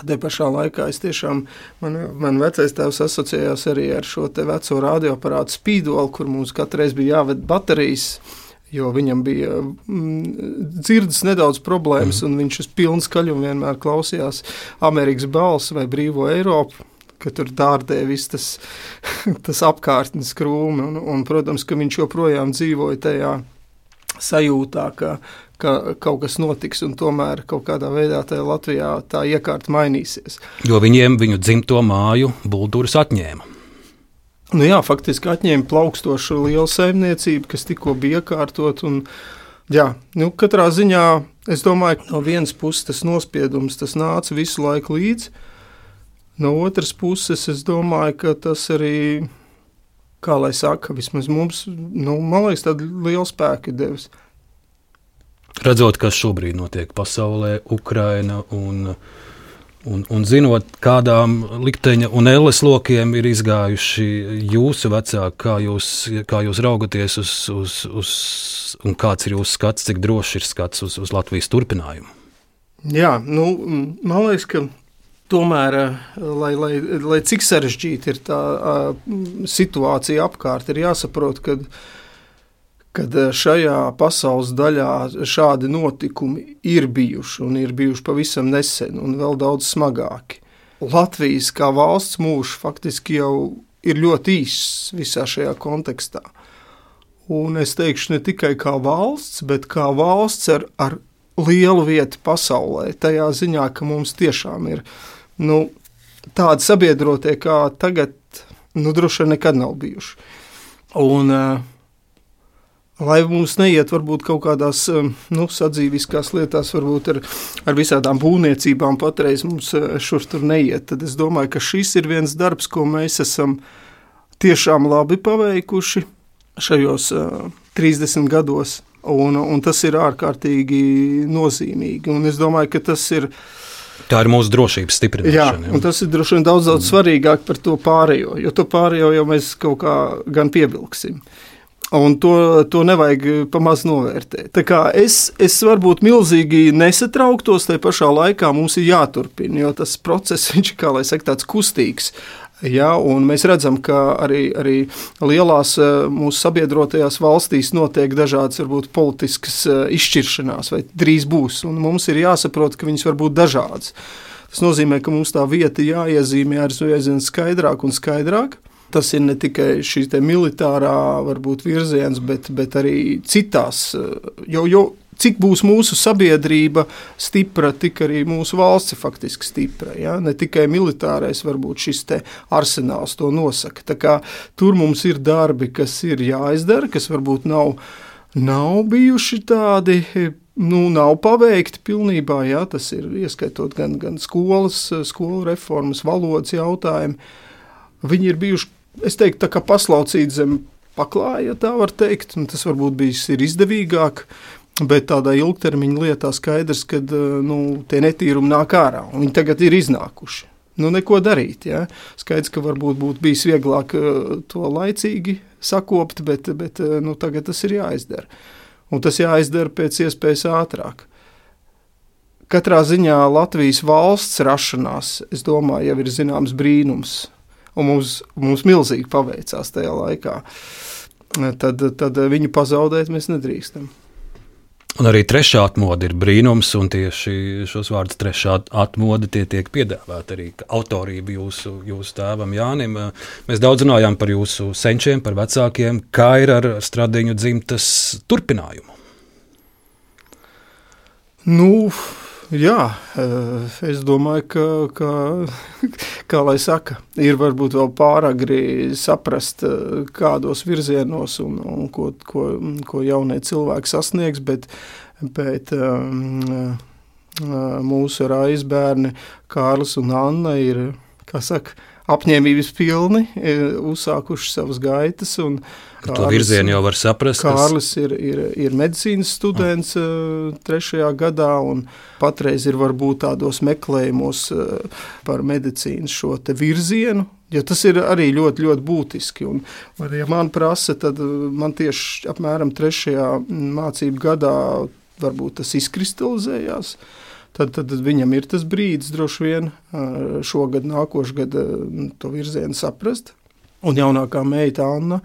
Te pašā laikā es tiešām, man, man vecais tēvs asociējās arī ar šo te veco radioaparātu Speedol, kur mums katreiz bija jāved baterijas, jo viņam bija mm, dzirdes nedaudz problēmas, mm. un viņš uz pilnu skaļumu vienmēr klausījās Amerikas balsi vai Brīvo Eiropu, ka tur dārdēja viss tas, tas apkārtnes krūmi, un, un, protams, ka viņš joprojām dzīvoja tajā sajūtā, ka ka kaut kas notiks, un tomēr kaut kādā veidā tajā Latvijā tā iekārta mainīsies. Jo viņiem viņu dzimto māju Bulduras atņēma. Nu jā, faktiski atņēma plaukstošu lielu saimniecību, kas tikko bija iekārtot, un jā, nu katrā ziņā, es domāju, no vienas puses tas nospiedums, tas nāca visu laiku līdzi, no otras puses es domāju, ka tas arī, kā lai saka, vismaz mums, nu, man liekas, tādu lielu spēku devis. Redzot, kas šobrīd notiek pasaulē, Ukraina, un, un, un zinot, kādām likteņa un elles lokiem ir izgājuši jūsu vecāki, kā jūs, kā jūs raugaties uz, uz, uz, un kāds ir jūsu skats, cik droši ir skats uz, uz Latvijas turpinājumu? Jā, nu, man liekas, ka tomēr, lai, lai, lai cik sarežģīta ir tā situācija apkārt, ir jāsaprot, ka kad šajā pasaules daļā šādi notikumi ir bijuši un ir bijuši pavisam nesen un vēl daudz smagāki. Latvijas kā valsts mūžs faktiski jau ir ļoti īss visā šajā kontekstā. un es teikšu ne tikai kā valsts, bet kā valsts ar, ar lielu vietu pasaulē, tajā ziņā, ka mums tiešām ir nu, tādi sabiedrotie, kā tagad nu, droši vien nekad nav bijuši. Un, lai mums neiet varbūt kaut kādās nu, sadzīviskās lietās, varbūt ar, ar visādām būvniecībām patreiz mums šur tur neiet, tad es domāju, ka šis ir viens darbs, ko mēs esam tiešām labi paveikuši šajos uh, trīsdesmit gados, un, un tas ir ārkārtīgi nozīmīgi. Un es domāju, ka tas ir Tā ir mūsu drošības stiprināšana. Jā, un tas ir droši vien daudz, daudz svarīgāk par to pārējo, jo to pārējo jau mēs kaut kā gan pievilksim. Un to, to nevajag pamaz novērtēt. Tā kā es, es varbūt milzīgi nesatrauktos, tai pašā laikā mums ir jāturpina, jo tas process, viņš ir, kā lai saka, tāds kustīgs. Ja, un mēs redzam, ka arī, arī lielās mūsu sabiedrotajās valstīs notiek dažādas varbūt politiskas izšķiršanās, vai drīz būs, un mums ir jāsaprot, ka viņas var būt dažādas. Tas nozīmē, ka mums tā vieta jāiezīmē aizvien skaidrāk un skaidrāk. Tas ir ne tikai šī te militārā varbūt virziens, bet, bet arī citās, jo, jo cik būs mūsu sabiedrība stipra, tik arī mūsu valsts faktiski stipra. Ja? Ne tikai militārais varbūt šis te arsenāls to nosaka. Tā kā tur mums ir darbi, kas ir jāizdara, kas varbūt nav, nav bijuši tādi, nu, nav paveikti pilnībā. Ja? Tas ir ieskaitot gan, gan skolas, skolu reformas, valodas jautājumi. Viņi ir bijuši, es teiktu, tā kā paslaucīt zem paklāja, ja tā var teikt, un tas varbūt bijis ir izdevīgāk, bet tādā ilgtermiņa lietā skaidrs, ka nu, tie netīrumi nāk ārā, un viņi tagad ir iznākuši. Nu, neko darīt, ja? Skaidrs, ka varbūt būtu bijis vieglāk to laicīgi sakopt, bet, bet nu, tagad tas ir jāizdara. Un tas jāizdara pēc iespējas ātrāk. Katrā ziņā Latvijas valsts rašanās, es domāju, jau ir zināms brīnums, un mums, mums milzīgi paveicās tajā laikā. Tad, tad viņu pazaudēt mēs nedrīkstam. Un arī trešā atmoda ir brīnums, un tieši šos vārdus trešā atmoda tie tiek piedāvāti arī autorība jūsu, jūsu tēvam Jānim. Mēs daudz runājām par jūsu senčiem, par vecākiem, kā ir ar Stradiņu dzimtas turpinājumu? Nu, jā, es domāju, ka, ka, kā lai saka, ir varbūt vēl pāragri saprast, kādos virzienos un, un ko, ko, ko jaunie cilvēki sasniegs, bet, bet um, mūsu raizbērni Kārlis un Anna ir, kā saka, apņēmības pilni, uzsākuši savas gaitas. Un Kārlis, to virzienu jau var saprast. Kārlis ir, ir, ir medicīnas students mm. trešajā gadā un patreiz ir varbūt tādos meklējumos par medicīnas šo te virzienu, jo tas ir arī ļoti, ļoti būtiski. Un, ja man prasa, tad man tieši apmēram trešajā mācību gadā varbūt tas izkristalizējās. Tad, tad viņam ir tas brīdis droši vien šogad, nākošgad to virzienu saprast. Un jaunākā meita Anna,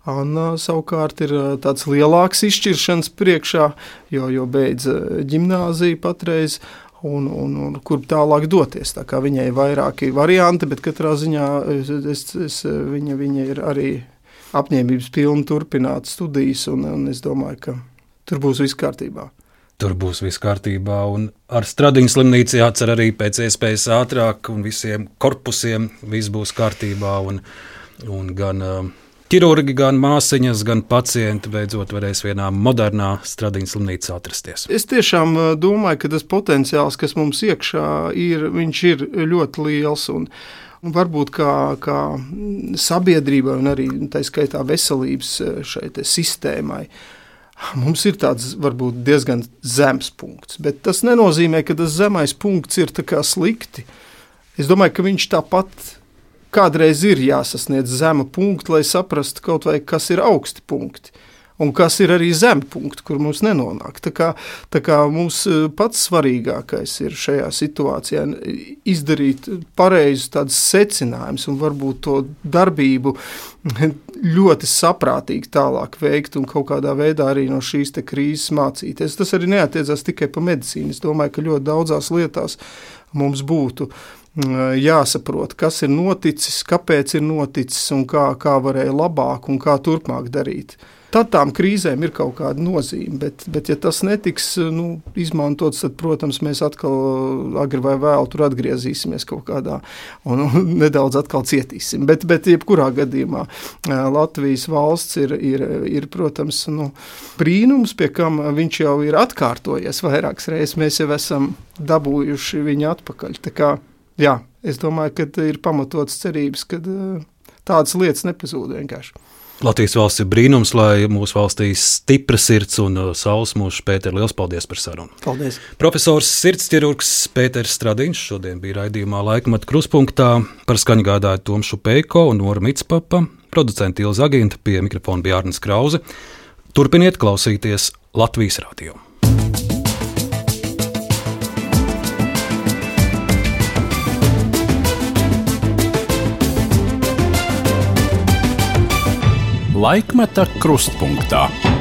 Anna savukārt ir tāds lielāks izšķiršanas priekšā, jo, jo beidz ģimnāziju patreiz un, un, un kur tālāk doties. Tā kā viņai ir vairāki varianti, bet katrā ziņā es, es, viņa, viņa ir arī apņēmības pilna turpināt studijas un, un es domāju, ka tur būs viss kārtībā. Tur būs viss kārtībā, un ar Stradiņu slimnīcu jācer arī pēc iespējas ātrāk, un visiem korpusiem viss būs kārtībā, un, un gan uh, ķirurgi, gan māsiņas, gan pacienti beidzot varēs vienā modernā Stradiņu slimnīcā atrasties. Es tiešām domāju, ka tas potenciāls, kas mums iekšā ir, viņš ir ļoti liels, un varbūt kā, kā sabiedrībai un arī tā skaitā veselības šai te sistēmai, mums ir tāds varbūt diezgan zems punkts, bet tas nenozīmē, ka tas zemais punkts ir tā kā slikti. Es domāju, ka viņš tāpat kādreiz ir jāsasniedz zema punkta, lai saprastu kaut vai, kas ir augsti punkti un kas ir arī zemi punkti, kur mums nenonāk. Tā kā, tā kā mums pats svarīgākais ir šajā situācijā izdarīt pareizus tādus secinājumus un varbūt to darbību ļoti saprātīgi tālāk veikt un kaut kādā veidā arī no šīs te krīzes mācīties. Tas arī neatiecās tikai pa medicīnu. Es domāju, ka ļoti daudzās lietās mums būtu jāsaprot, kas ir noticis, kāpēc ir noticis un kā, kā varēja labāk un kā turpmāk darīt. Tad tām krīzēm ir kaut kāda nozīme, bet, bet ja tas netiks nu, izmantots, tad, protams, mēs atkal agri vai vēl tur atgriezīsimies kaut kādā un, un nedaudz atkal cietīsim. Bet, bet jebkurā gadījumā Latvijas valsts ir, ir, ir protams, nu, brīnums, pie kam viņš jau ir atkārtojies vairākas reizes. Mēs jau esam dabūjuši viņu atpakaļ. Tā kā, jā, es domāju, ka ir pamatotas cerības, ka tādas lietas nepazūd vienkārši. Latvijas valsts ir brīnums, lai mūsu valstī stipra sirds un saules mūžs. Pēter, liels paldies par sarunu. Paldies. Profesors sirdsķirurgs Pēters Stradiņš šodien bija raidījumā Laikmeta krustpunktā. Par skaņu gādāja Toms Šupeiko un Nora Mitspapa. Producenti Ilza Aginta, pie mikrofona bija Arnis Krause. Turpiniet klausīties Latvijas radio. Laikmeta krustpunktā.